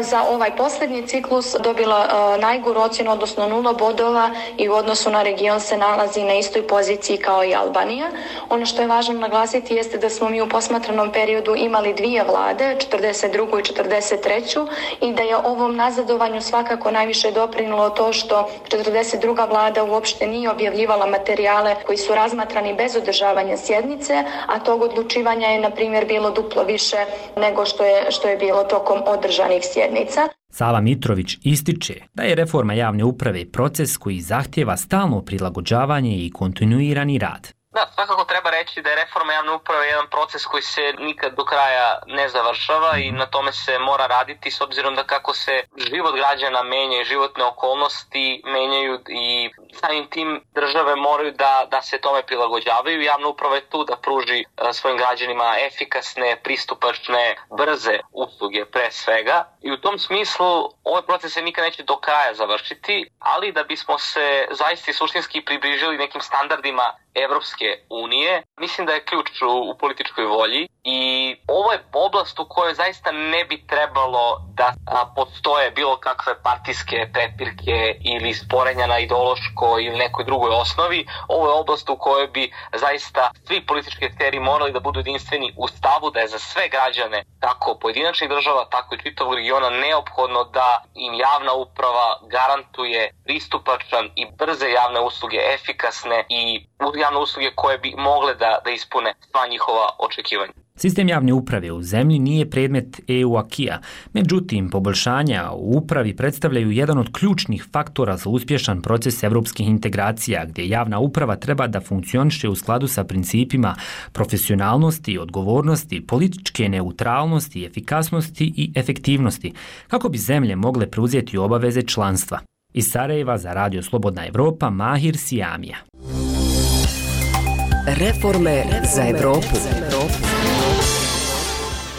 za ovaj posljednji ciklus dobila najgoru ocjenu, odnosno nula bodova, i u odnosu na region se nalazi na istoj poziciji kao i Albanija. Ono što je važno naglasiti jeste da smo mi u posmatranom periodu imali dvije vlade, četrdeset drugu i četrdeset treću, i da je ovom nazadovanju svakako najviše doprinilo to što četrdeset druga vlada uopšte nije objavljivala materijale koji su razmatrani bez održavanja sjednice, a tog odlučivanja je, na primjer, bilo duplo više nego što je, što je bilo tokom održanih sjednica.
Sava Mitrović ističe da je reforma javne uprave proces koji zahtjeva stalno prilagođavanje i kontinuirani rad.
Da, svakako treba reći da je reforma javne uprave jedan proces koji se nikad do kraja ne završava i na tome se mora raditi s obzirom da kako se život građana menja i životne okolnosti menjaju i samim tim države moraju da, da se tome prilagođavaju. Javna uprava je tu da pruži svojim građanima efikasne, pristupačne, brze usluge pre svega i u tom smislu ovaj proces se nikad neće do kraja završiti, ali da bismo se zaista suštinski približili nekim standardima Evropske unije, mislim da je ključ u, u političkoj volji i ovo je oblast u kojoj zaista ne bi trebalo da a, postoje bilo kakve partijske prepirke ili sporenja na ideološkoj ili nekoj drugoj osnovi. Ovo je oblast u kojoj bi zaista svi politički akteri morali da budu jedinstveni u stavu da je za sve građane, kako pojedinačnih država, tako i čitavog regiona, neophodno da im javna uprava garantuje pristupačan i brze javne usluge, efikasne i javne usluge koje bi mogle da, da ispune sva njihova očekivanja.
Sistem javne uprave u zemlji nije predmet E U akija, međutim, poboljšanja u upravi predstavljaju jedan od ključnih faktora za uspješan proces evropskih integracija, gdje javna uprava treba da funkcioniše u skladu sa principima profesionalnosti, odgovornosti, političke neutralnosti, efikasnosti i efektivnosti, kako bi zemlje mogle preuzeti obaveze članstva. Iz Sarajeva za Radio Slobodna Evropa, Mahir Sijamija.
Reforme za Evropu.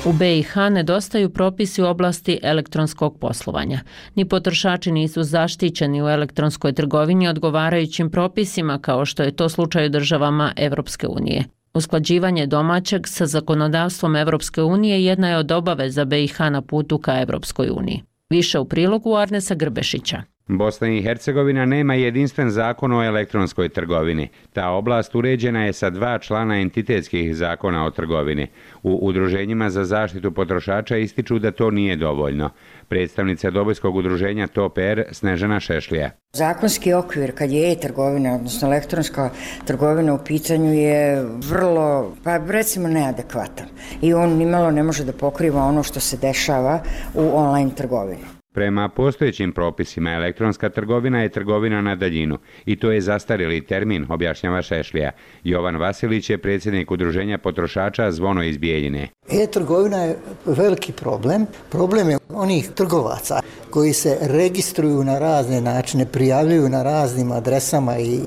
U B i H nedostaju propisi u oblasti elektronskog poslovanja. Ni potrošači nisu zaštićeni u elektronskoj trgovini odgovarajućim propisima kao što je to slučaj u državama Evropske unije. Usklađivanje domaćeg sa zakonodavstvom Evropske unije jedna je od obaveza B i H na putu ka Evropskoj uniji. Više u prilogu Arnesa Grbešića.
Bosna i Hercegovina nema jedinstven zakon o elektronskoj trgovini. Ta oblast uređena je sa dva člana entitetskih zakona o trgovini. U udruženjima za zaštitu potrošača ističu da to nije dovoljno. Predstavnica Dobojskog udruženja T O P R Snežana Šešlija.
Zakonski okvir kad je e-trgovina, odnosno elektronska trgovina u pitanju je vrlo, pa recimo neadekvatan. I on nimalo ne može da pokriva ono što se dešava u online trgovini.
Prema postojećim propisima, elektronska trgovina je trgovina na daljinu i to je zastarjeli termin, objašnjava Šešlija. Jovan Vasilić je predsjednik udruženja potrošača Zvono iz Bijeljine.
E-trgovina je veliki problem. Problem je onih trgovaca koji se registruju na razne načine, prijavljuju na raznim adresama i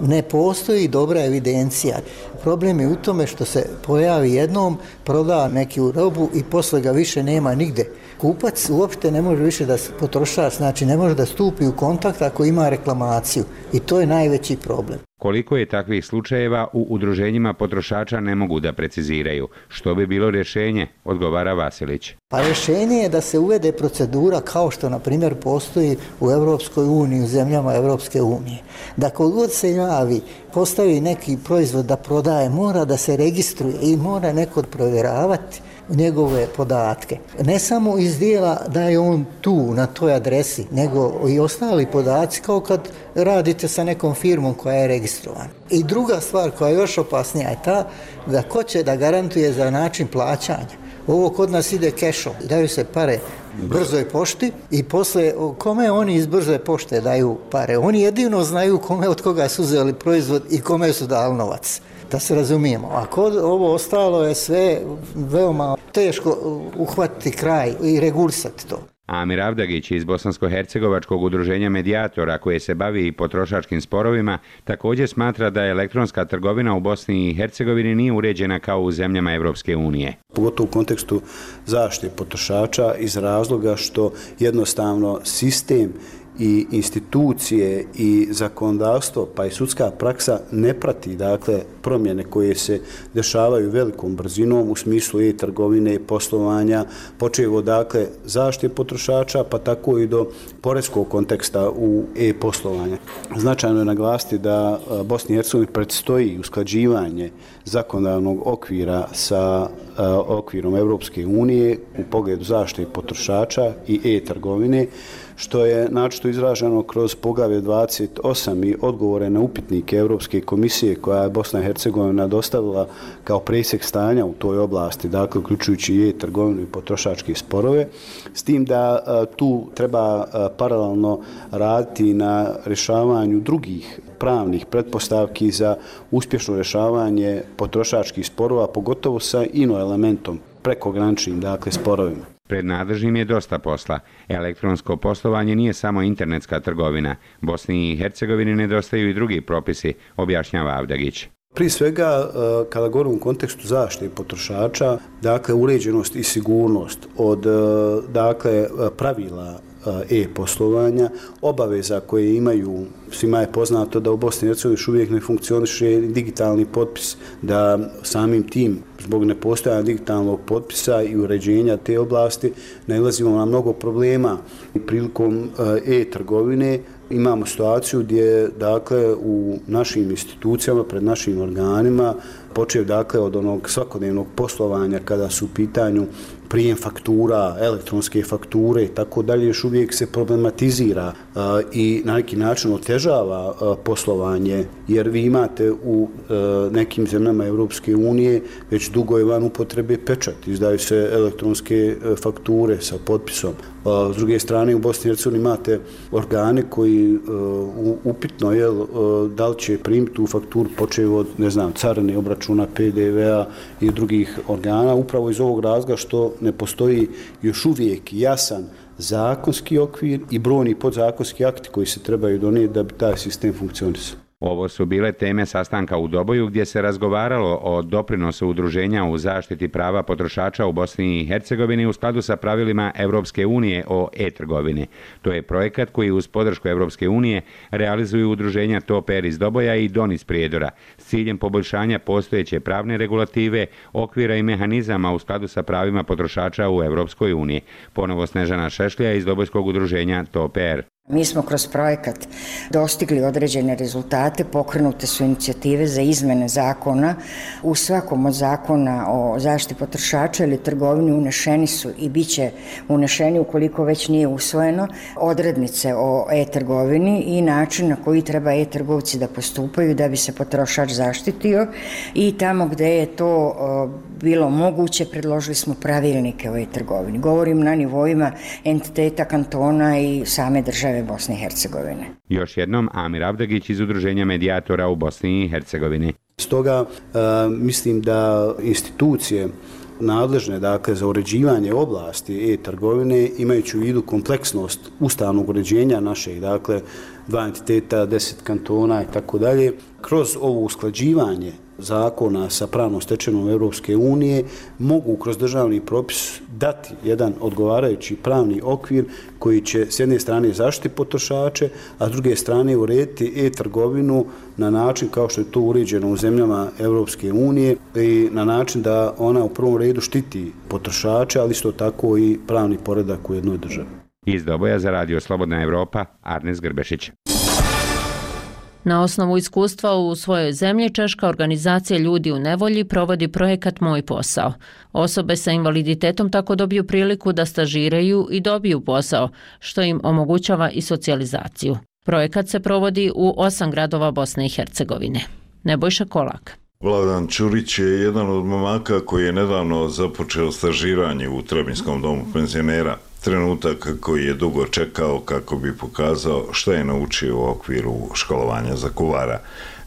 ne postoji dobra evidencija. Problem je u tome što se pojavi jednom, proda neku robu i posle ga više nema nigde. Kupac uopšte ne može više da potrošač, znači ne može da stupi u kontakt ako ima reklamaciju i to je najveći problem.
Koliko je takvih slučajeva u udruženjima potrošača ne mogu da preciziraju. Što bi bilo rješenje, odgovara Vasilić.
Pa rješenje je da se uvede procedura kao što na primjer postoji u Evropskoj uniji, u zemljama Evropske unije. Da kod god se javi, postavi neki proizvod da prodaje, mora da se registruje i mora neko provjeravati njegove podatke. Ne samo iz dijela da je on tu na toj adresi, nego i ostali podaci kao kad radite sa nekom firmom koja je registrovana. I druga stvar koja je još opasnija je ta da ko će da garantuje za način plaćanja. Ovo kod nas ide kešom, daju se pare brzoj pošti i posle kome oni iz brze pošte daju pare. Oni jedino znaju kome od koga su uzeli proizvod i kome su dali novac. Da se razumijemo. A kod ovo ostalo je sve veoma teško uhvatiti kraj i regulisati to.
Amir Avdagić iz Bosansko-hercegovačkog udruženja medijatora koje se bavi i potrošačkim sporovima također smatra da elektronska trgovina u Bosni i Hercegovini nije uređena kao u zemljama Evropske unije.
Pogotovo u kontekstu zaštite potrošača iz razloga što jednostavno sistem i institucije i zakonodavstvo pa i sudska praksa ne prati dakle promjene koje se dešavaju velikom brzinom u smislu e-trgovine, poslovanja, počev od dakle zaštite potrošača pa tako i do poreskog konteksta u e-poslovanja. Značajno je naglasiti da Bosni i Hercegovini predstoji usklađivanje zakonodavnog okvira sa uh, okvirom Evropske unije u pogledu zaštite potrošača i e-trgovine, što je načito izraženo kroz poglavlje dvadeset osam i odgovore na upitnike Europske komisije koja je Bosna i Hercegovina dostavila kao presjek stanja u toj oblasti, dakle uključujući i e-trgovinu i potrošačke sporove, s tim da a, tu treba a, paralelno raditi na rješavanju drugih pravnih pretpostavki za uspješno rješavanje potrošačkih sporova, pogotovo sa ino elementom prekograničnim, dakle, sporovima.
Pred nadležnim je dosta posla. Elektronsko poslovanje nije samo internetska trgovina. Bosni i Hercegovini nedostaju i drugi propisi, objašnjava Avdagić.
Prije svega, kada govorimo u kontekstu zaštite potrošača, dakle, uređenost i sigurnost od dakle, pravila e-poslovanja, obaveza koje imaju, svima je poznato da u Bosni i Hercegovini još uvijek ne funkcioniše digitalni potpis, da samim tim, zbog nepostojanja digitalnog potpisa i uređenja te oblasti, nailazimo na mnogo problema. Prilikom e-trgovine imamo situaciju gdje, dakle, u našim institucijama, pred našim organima, počev, dakle, od onog svakodnevnog poslovanja kada su u pitanju prijem faktura, elektronske fakture i tako dalje, još uvijek se problematizira i na neki način otežava poslovanje, jer vi imate u nekim zemljama Europske unije već dugo je van upotrebe pečat, izdaju se elektronske fakture sa potpisom. S druge strane, u Bosni i Hercegovini imate organe koji upitno je da li će primiti tu fakturu počev od, ne znam, carine, obračuna P D V-a i drugih organa, upravo iz ovog razloga što ne postoji još uvijek jasan zakonski okvir i brojni podzakonski akti koji se trebaju donijeti da bi taj sistem funkcionisao.
Ovo su bile teme sastanka u Doboju gdje se razgovaralo o doprinosu udruženja u zaštiti prava potrošača u Bosni i Hercegovini u skladu sa pravilima Europske unije o e-trgovini. To je projekat koji uz podršku Europske unije realizuju udruženja Toper iz Doboja i Don iz Prijedora s ciljem poboljšanja postojeće pravne regulative, okvira i mehanizama u skladu sa pravima potrošača u Europskoj uniji. Ponovo Snežana Šešlija iz Dobojskog udruženja Toper.
Mi smo kroz projekat dostigli određene rezultate, pokrenute su inicijative za izmene zakona. U svakom od zakona o zaštiti potrošača ili trgovini unešeni su i bit će unešeni, ukoliko već nije usvojeno, odrednice o e-trgovini i način na koji treba e-trgovci da postupaju da bi se potrošač zaštitio, i tamo gdje je to bilo moguće predložili smo pravilnike o e-trgovini. Govorim na nivoima entiteta, kantona i same države Bosne i Hercegovine.
Još jednom Amir Avdagić iz Udruženja medijatora u Bosni i Hercegovini.
Stoga e, mislim da institucije nadležne, dakle, za uređivanje oblasti e-trgovine, imajući u vidu kompleksnost ustavnog uređenja našeg, dakle, dva entiteta, deset kantona i tako dalje, kroz ovo usklađivanje zakona sa pravnom stečevinom Europske unije mogu kroz državni propis dati jedan odgovarajući pravni okvir koji će s jedne strane zaštiti potrošače, a s druge strane urediti e-trgovinu na način kao što je to uređeno u zemljama Europske unije i na način da ona u prvom redu štiti potrošače, ali isto tako i pravni poredak u jednoj državi.
Iz Doboja za Radio Slobodna Evropa, Arnes Grbešić.
Na osnovu iskustva u svojoj zemlji, češka organizacija Ljudi u nevolji provodi projekat Moj posao. Osobe sa invaliditetom tako dobiju priliku da stažiraju i dobiju posao, što im omogućava i socijalizaciju. Projekat se provodi u osam gradova Bosne i Hercegovine. Nebojša Kolak.
Vladan Čurić je jedan od momaka koji je nedavno započeo stažiranje u Trebinskom domu penzionera. Trenutak koji je dugo čekao kako bi pokazao što je naučio u okviru školovanja za kuvara.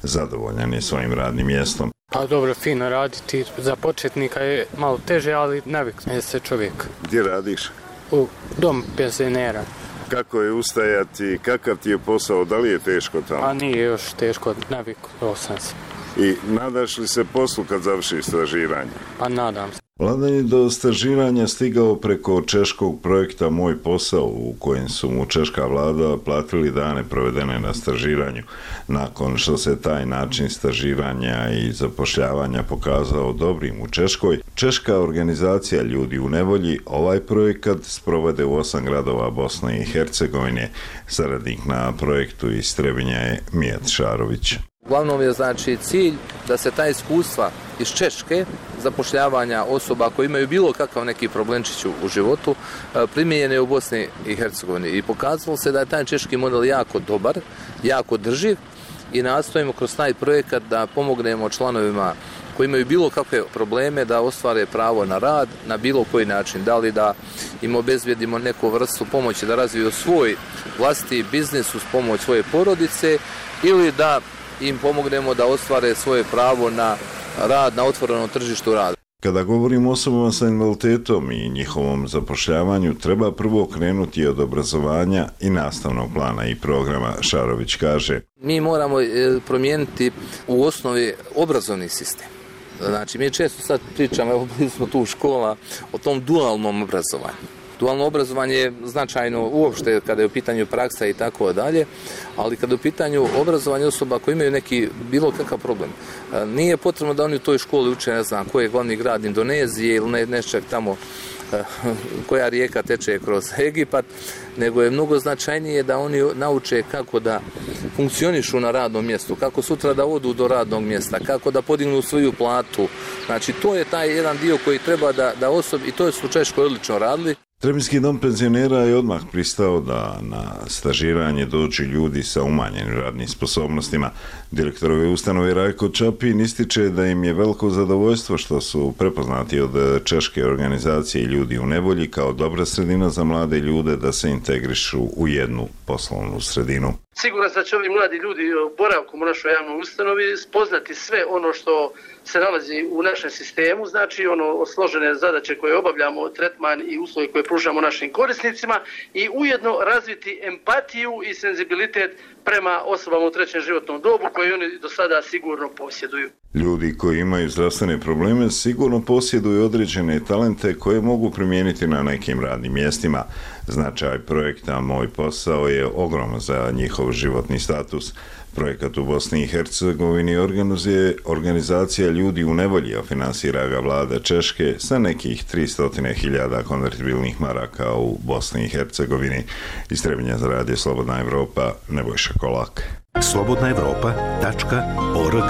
Zadovoljan je svojim radnim mjestom.
Pa dobro, fino raditi. Za početnika je malo teže, ali navikne se čovjek.
Gdje radiš?
U domu penzionera.
Kako je ustajati, kakav ti je posao, da li je teško tamo?
A nije još teško, navikao sam se.
I nadaš li se poslu kad završiš stažiranje?
Pa nadam se.
Vladan je do stažiranja stigao preko češkog projekta Moj posao, u kojem su mu češka vlada platili dane provedene na stažiranju. Nakon što se taj način stažiranja i zapošljavanja pokazao dobrim u Češkoj, češka organizacija Ljudi u nevolji ovaj projekat sprovede u osam gradova Bosne i Hercegovine. Saradnik na projektu iz Trebinja je Mijat Šarović.
Uglavnom je znači cilj da se ta iskustva iz Češke zapošljavanja osoba koji imaju bilo kakav neki problemčić u životu primijenjene u Bosni i Hercegovini. I pokazalo se da je taj češki model jako dobar, jako drživ i nastojimo kroz taj projekat da pomognemo članovima koji imaju bilo kakve probleme da ostvare pravo na rad na bilo koji način. Da li da im obezbjedimo neku vrstu pomoći da razviju svoj vlastiti biznis uz pomoć svoje porodice ili da im pomognemo da ostvare svoje pravo na rad na otvorenom tržištu rada.
Kada govorimo o osobama sa invaliditetom i njihovom zapošljavanju, treba prvo krenuti od obrazovanja i nastavnog plana i programa, Šarović kaže.
Mi moramo promijeniti u osnovi obrazovni sistem. Znači, mi često sad pričamo, evo bili smo tu u škola, o tom dualnom obrazovanju. Dualno obrazovanje je značajno uopšte kada je u pitanju praksa i tako dalje, ali kada je u pitanju obrazovanje osoba koji imaju neki bilo kakav problem. Nije potrebno da oni u toj školi uče, ne znam, koji je glavni grad Indonezije ili ne, nečak tamo koja rijeka teče kroz Egipat, nego je mnogo značajnije da oni nauče kako da funkcionišu na radnom mjestu, kako sutra da odu do radnog mjesta, kako da podignu svoju platu. Znači, to je taj jedan dio koji treba da, da osobi, i to su u Češkoj odlično radili.
Trebinski dom penzionera je odmah pristao da na stažiranje dođu ljudi sa umanjenim radnim sposobnostima. Direktor ove ustanove Rajko Čapin ističe da im je veliko zadovoljstvo što su prepoznati od češke organizacije Ljudi u nevolji kao dobra sredina za mlade ljude da se integrišu u jednu poslovnu sredinu.
Siguran sam da će ovi mladi ljudi boravkom u našoj javnoj ustanovi spoznati sve ono što se nalazi u našem sistemu, znači ono složene zadaće koje obavljamo, tretman i uslovi koje pružamo našim korisnicima i ujedno razviti empatiju i senzibilitet prema osobama u trećem životnom dobu koje oni do sada sigurno posjeduju.
Ljudi koji imaju zdravstvene probleme sigurno posjeduju određene talente koje mogu primijeniti na nekim radnim mjestima. Značaj projekta Moj posao je ogroman za njihov životni status. Projekat u Bosni i Hercegovini organizuje organizacija Ljudi u nevolji, a finansira ga vlada Češke sa nekih tristo hiljada konvertibilnih maraka u Bosni i Hercegovini. Iz Trebinja za radio Slobodna Evropa, Nebojša Kolak.
slobodna evropa tačka org.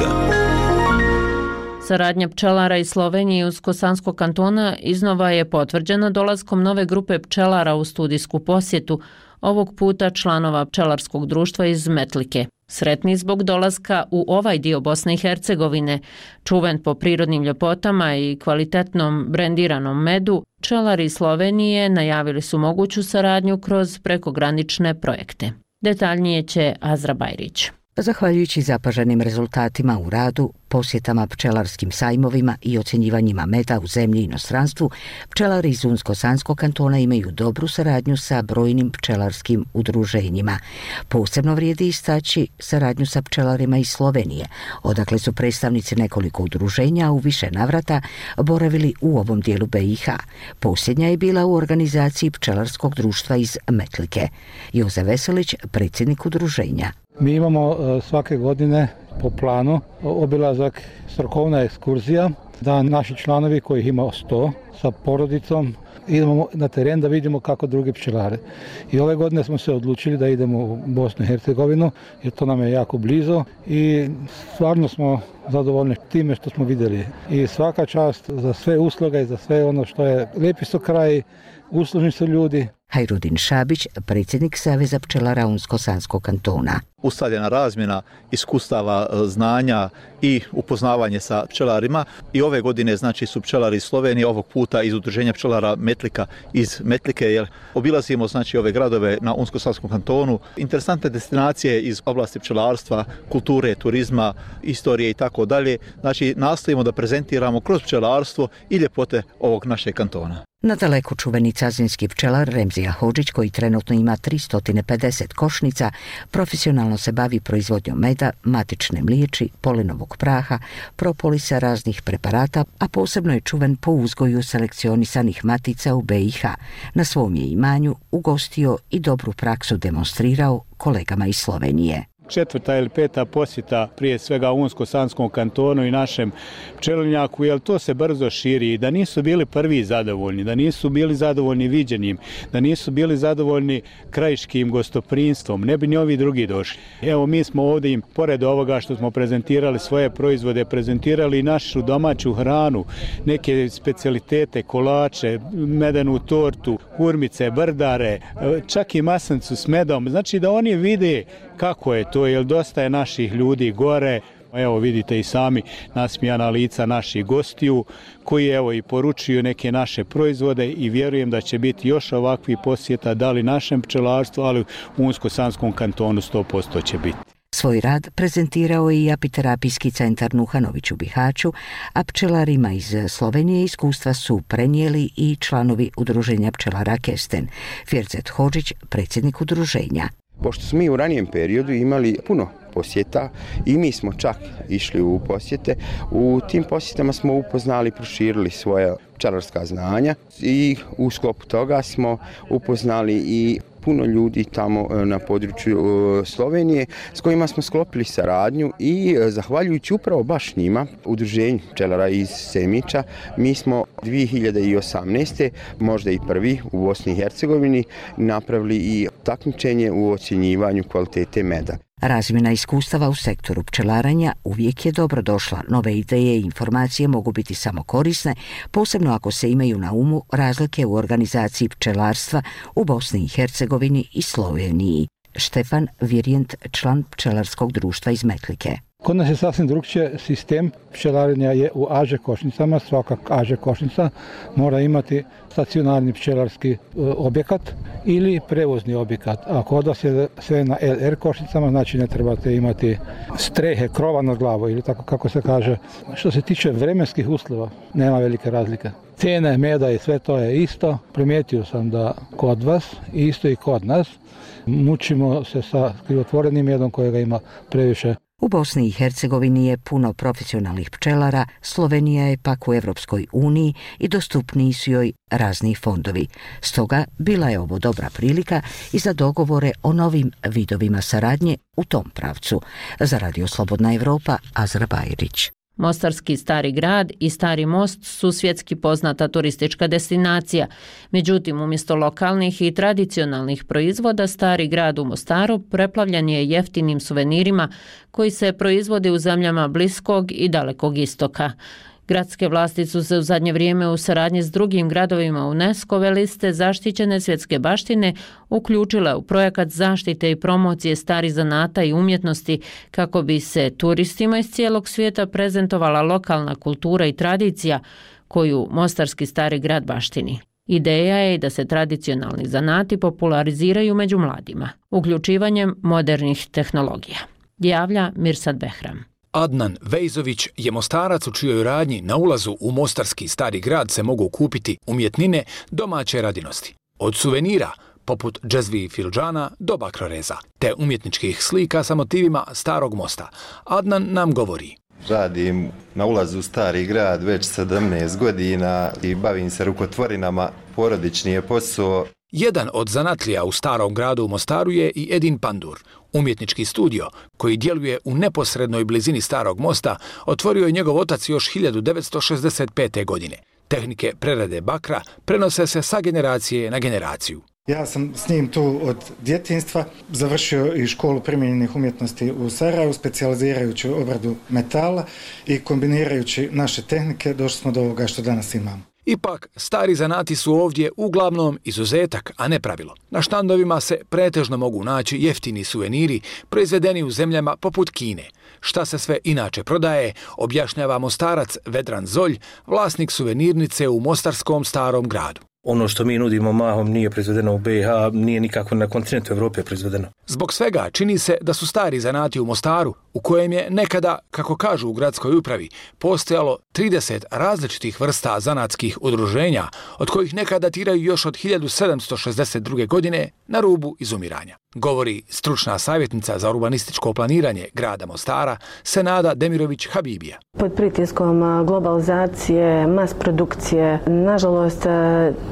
Saradnja pčelara iz Slovenije i Unsko-Sanskog kantona iznova je potvrđena dolaskom nove grupe pčelara u studijsku posjetu, ovog puta članova pčelarskog društva iz Metlike. Sretni zbog dolaska u ovaj dio Bosne i Hercegovine, čuven po prirodnim ljepotama i kvalitetnom brendiranom medu, pčelari iz Slovenije najavili su moguću saradnju kroz prekogranične projekte. Detaljnije će Azra Bajrić.
Zahvaljujući zapaženim rezultatima u radu, posjetama pčelarskim sajmovima i ocjenjivanjima meda u zemlji i inostranstvu, pčelari iz Unsko-Sanskog kantona imaju dobru saradnju sa brojnim pčelarskim udruženjima. Posebno vrijedi istaći saradnju sa pčelarima iz Slovenije, odakle su predstavnici nekoliko udruženja u više navrata boravili u ovom dijelu B i H. Posljednja je bila u organizaciji pčelarskog društva iz Metlike. Joze Veselić, predsjednik udruženja.
Mi imamo svake godine po planu obilazak, strokovna ekskurzija, da naši članovi kojih ima sto sa porodicom idemo na teren da vidimo kako drugi pčelare. I ove godine smo se odlučili da idemo u Bosnu i Hercegovinu jer to nam je jako blizu i stvarno smo zadovoljni time što smo vidjeli. I svaka čast za sve usluge i za sve ono što je lijepi su kraj, uslužni su ljudi.
Hajrudin Šabić, predsjednik Saveza pčelara Unsko-Sanskog kantona.
Ustaljena razmjena iskustava, znanja i upoznavanje sa pčelarima. I ove godine znači su pčelari iz Slovenije, ovog puta iz udruženja pčelara Metlika iz Metlike, jer obilazimo znači ove gradove na Unsko-Sanskom kantonu. Interesantne destinacije iz oblasti pčelarstva, kulture, turizma, istorije i tako dalje. Znači nastojimo da prezentiramo kroz pčelarstvo i ljepote ovog našeg kantona.
Nadaleko čuveni cazinski pčelar Remzija Hodžić, koji trenutno ima tristo pedeset košnica, profesionalno se bavi proizvodnjom meda, matične mliječi, polenovog praha, propolisa, raznih preparata, a posebno je čuven po uzgoju selekcionisanih matica u B i H. Na svom je imanju ugostio i dobru praksu demonstrirao kolegama iz Slovenije.
Četvrta ili peta posjeta prije svega Unsko-Sanskom kantonu i našem pčelinjaku, jer to se brzo širi i da nisu bili prvi zadovoljni, da nisu bili zadovoljni viđenjem, da nisu bili zadovoljni krajiškim gostoprinstvom, ne bi ni ovi drugi došli. Evo mi smo ovdje im, pored ovoga što smo prezentirali svoje proizvode, prezentirali i našu domaću hranu, neke specijalitete, kolače, medenu tortu, hurmice, brdare, čak i masancu s medom. Znači da oni vide kako je to, jer dosta je naših ljudi gore. Evo vidite i sami nasmijana lica naših gostiju koji evo i poručuju neke naše proizvode i vjerujem da će biti još ovakvih posjeta, da li našem pčelarstvu, ali u Unsko-Sanskom kantonu sto posto će biti.
Svoj rad prezentirao je i apiterapijski centar Nuhanović u Bihaću, a pčelarima iz Slovenije iskustva su prenijeli i članovi udruženja pčelara Kesten. Fjerzet Hodžić, predsjednik udruženja.
Pošto smo mi u ranijem periodu imali puno posjeta i mi smo čak išli u posjete, u tim posjetama smo upoznali i proširili svoje pčelarska znanja i u sklopu toga smo upoznali i puno ljudi tamo na području Slovenije s kojima smo sklopili saradnju i zahvaljujući upravo baš njima, udruženju pčelara iz Semiča, mi smo dvije hiljade osamnaeste. možda i prvi u Bosni i Hercegovini napravili i takmičenje u ocjenjivanju kvalitete meda.
Razmjena iskustava u sektoru pčelarenja uvijek je dobro došla. Nove ideje i informacije mogu biti samo korisne, posebno ako se imaju na umu razlike u organizaciji pčelarstva u Bosni i Hercegovini i Sloveniji. Štefan Virjent, član pčelarskog društva iz Metlike.
Kod nas je sasvim drugčije, sistem pčelarenja je u A Ž košnicama, svaka A Ž košnica mora imati stacionarni pčelarski objekat ili prevozni objekat. A kod vas je sve na L R košnicama, znači ne trebate imati strehe, krova nad glavom ili tako kako se kaže. Što se tiče vremenskih uslova, nema velike razlike. Cijene meda i sve to je isto. Primijetio sam da kod vas, isto i kod nas, mučimo se sa krivotvorenim medom kojega ima previše.
U Bosni i Hercegovini je puno profesionalnih pčelara, Slovenija je pak u Evropskoj uniji i dostupniji su joj razni fondovi. Stoga bila je ovo dobra prilika i za dogovore o novim vidovima saradnje u tom pravcu. Za Radio Slobodna Evropa, Azra Bajrić.
Mostarski Stari grad i Stari most su svjetski poznata turistička destinacija. Međutim, umjesto lokalnih i tradicionalnih proizvoda, Stari grad u Mostaru preplavljen je jeftinim suvenirima koji se proizvode u zemljama Bliskog i Dalekog istoka. Gradske vlasti su se u zadnje vrijeme u saradnji s drugim gradovima UNESCO-ve liste zaštićene svjetske baštine uključile u projekat zaštite i promocije starih zanata i umjetnosti kako bi se turistima iz cijelog svijeta prezentovala lokalna kultura i tradicija koju Mostarski Stari grad baštini. Ideja je da se tradicionalni zanati populariziraju među mladima, uključivanjem modernih tehnologija. Javlja Mirsad Behram.
Adnan Vejzović je Mostarac u čijoj radnji na ulazu u Mostarski Stari grad se mogu kupiti umjetnine domaće radinosti. Od suvenira, poput džezvi i filđana, do bakroreza, te umjetničkih slika sa motivima Starog mosta. Adnan nam govori.
Radim na ulazu u Stari grad već sedamnaest godina i bavim se rukotvorinama, porodični je posao.
Jedan od zanatlija u Starom gradu u Mostaru je i Edin Pandur. Umjetnički studio, koji djeluje u neposrednoj blizini Starog mosta, otvorio je njegov otac još hiljadu devetsto šezdeset pete. godine. Tehnike prerade bakra prenose se sa generacije na generaciju.
Ja sam s njim tu od djetinjstva, završio i školu primijenjenih umjetnosti u Sarajevu, specijalizirajući obradu metala i kombinirajući naše tehnike došli smo do ovoga što danas imamo.
Ipak, stari zanati su ovdje uglavnom izuzetak, a ne pravilo. Na štandovima se pretežno mogu naći jeftini suveniri proizvedeni u zemljama poput Kine. Šta se sve inače prodaje, objašnjava Mostarac Vedran Zolj, vlasnik suvenirnice u Mostarskom Starom gradu.
Ono što mi nudimo mahom nije proizvedeno u B i H, nije nikako na kontinentu Evrope proizvedeno.
Zbog svega čini se da su stari zanati u Mostaru, u kojem je nekada, kako kažu u gradskoj upravi, postojalo trideset različitih vrsta zanatskih udruženja, od kojih neka datiraju još od hiljadu sedamsto šezdeset druge. godine na rubu izumiranja. Govori stručna savjetnica za urbanističko planiranje grada Mostara, Senada Demirović Habibija.
Pod pritiskom globalizacije, mas produkcije, nažalost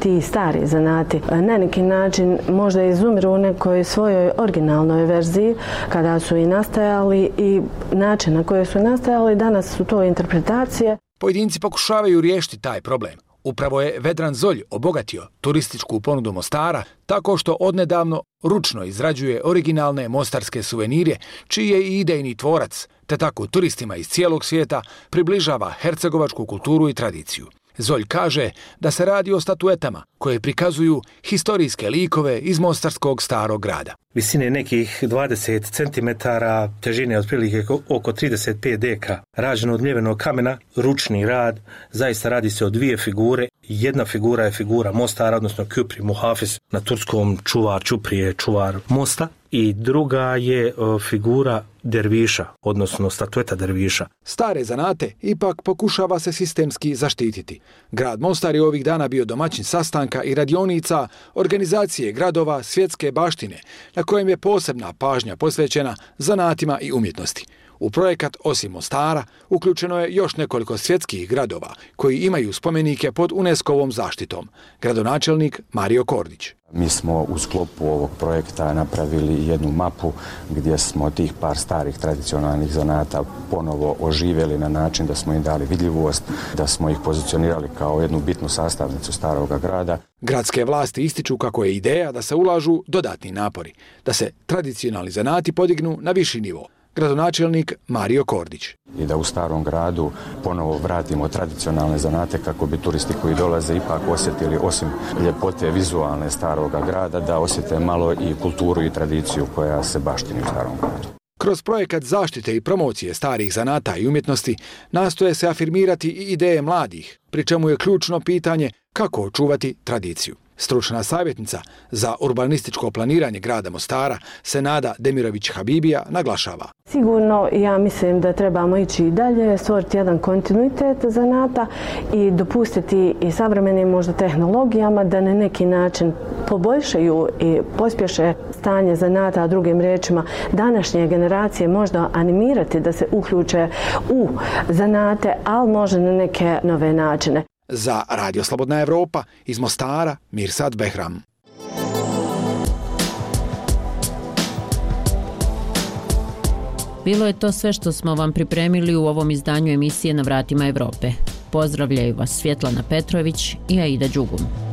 ti stari zanati na neki način možda izumiru u nekoj svojoj originalnoj verziji kada su i nastajali i način na koji su nastajali, danas su to interpretacije.
Pojedinci pokušavaju riješiti taj problem. Upravo je Vedran Zolj obogatio turističku ponudu Mostara tako što odnedavno ručno izrađuje originalne mostarske suvenire, čiji je i idejni tvorac, te tako turistima iz cijelog svijeta približava hercegovačku kulturu i tradiciju. Zolj kaže da se radi o statuetama koje prikazuju historijske likove iz Mostarskog Starog grada.
Visine nekih dvadeset centimetara, težine otprilike oko trideset pet deka, rađeno od mljevenog kamena, ručni rad, zaista radi se o dvije figure. Jedna figura je figura Mostara, odnosno Küpri Muhafis, na turskom čuvar Ćuprije, čuvar mosta, i druga je figura derviša, odnosno statueta derviša.
Stare zanate ipak pokušava se sistemski zaštititi. Grad Mostar je ovih dana bio domaćin sastanka i radionica organizacije gradova svjetske baštine, na kojem je posebna pažnja posvećena zanatima i umjetnosti. U projekat osim Mostara uključeno je još nekoliko svjetskih gradova koji imaju spomenike pod UNESCO-ovom zaštitom. Gradonačelnik Mario Kordić.
Mi smo u sklopu ovog projekta napravili jednu mapu gdje smo tih par starih tradicionalnih zanata ponovo oživjeli na način da smo im dali vidljivost, da smo ih pozicionirali kao jednu bitnu sastavnicu staroga grada.
Gradske vlasti ističu kako je ideja da se ulažu dodatni napori, da se tradicionalni zanati podignu na viši nivo. Gradonačelnik Mario Kordić.
I da u starom gradu ponovo vratimo tradicionalne zanate kako bi turisti koji dolaze ipak osjetili osim ljepote vizualne staroga grada, da osjete malo i kulturu i tradiciju koja se baštini u starom gradu.
Kroz projekat zaštite i promocije starih zanata i umjetnosti nastoje se afirmirati i ideje mladih, pri čemu je ključno pitanje kako očuvati tradiciju. Stručna savjetnica za urbanističko planiranje grada Mostara, Senada Demirović-Habibija, naglašava.
Sigurno, ja mislim da trebamo ići i dalje, stvoriti jedan kontinuitet zanata i dopustiti i savremenim možda tehnologijama da na neki način poboljšaju i pospješe stanje zanata, a drugim riječima današnje generacije možda animirati da se uključe u zanate, ali možda na neke nove načine.
Za Radio Slobodna Evropa iz Mostara, Mirsad Behram.
Bilo je to sve što smo vam pripremili u ovom izdanju emisije Na vratima Evrope. Pozdravljaju vas Svjetlana Petrović i Aida Đugum.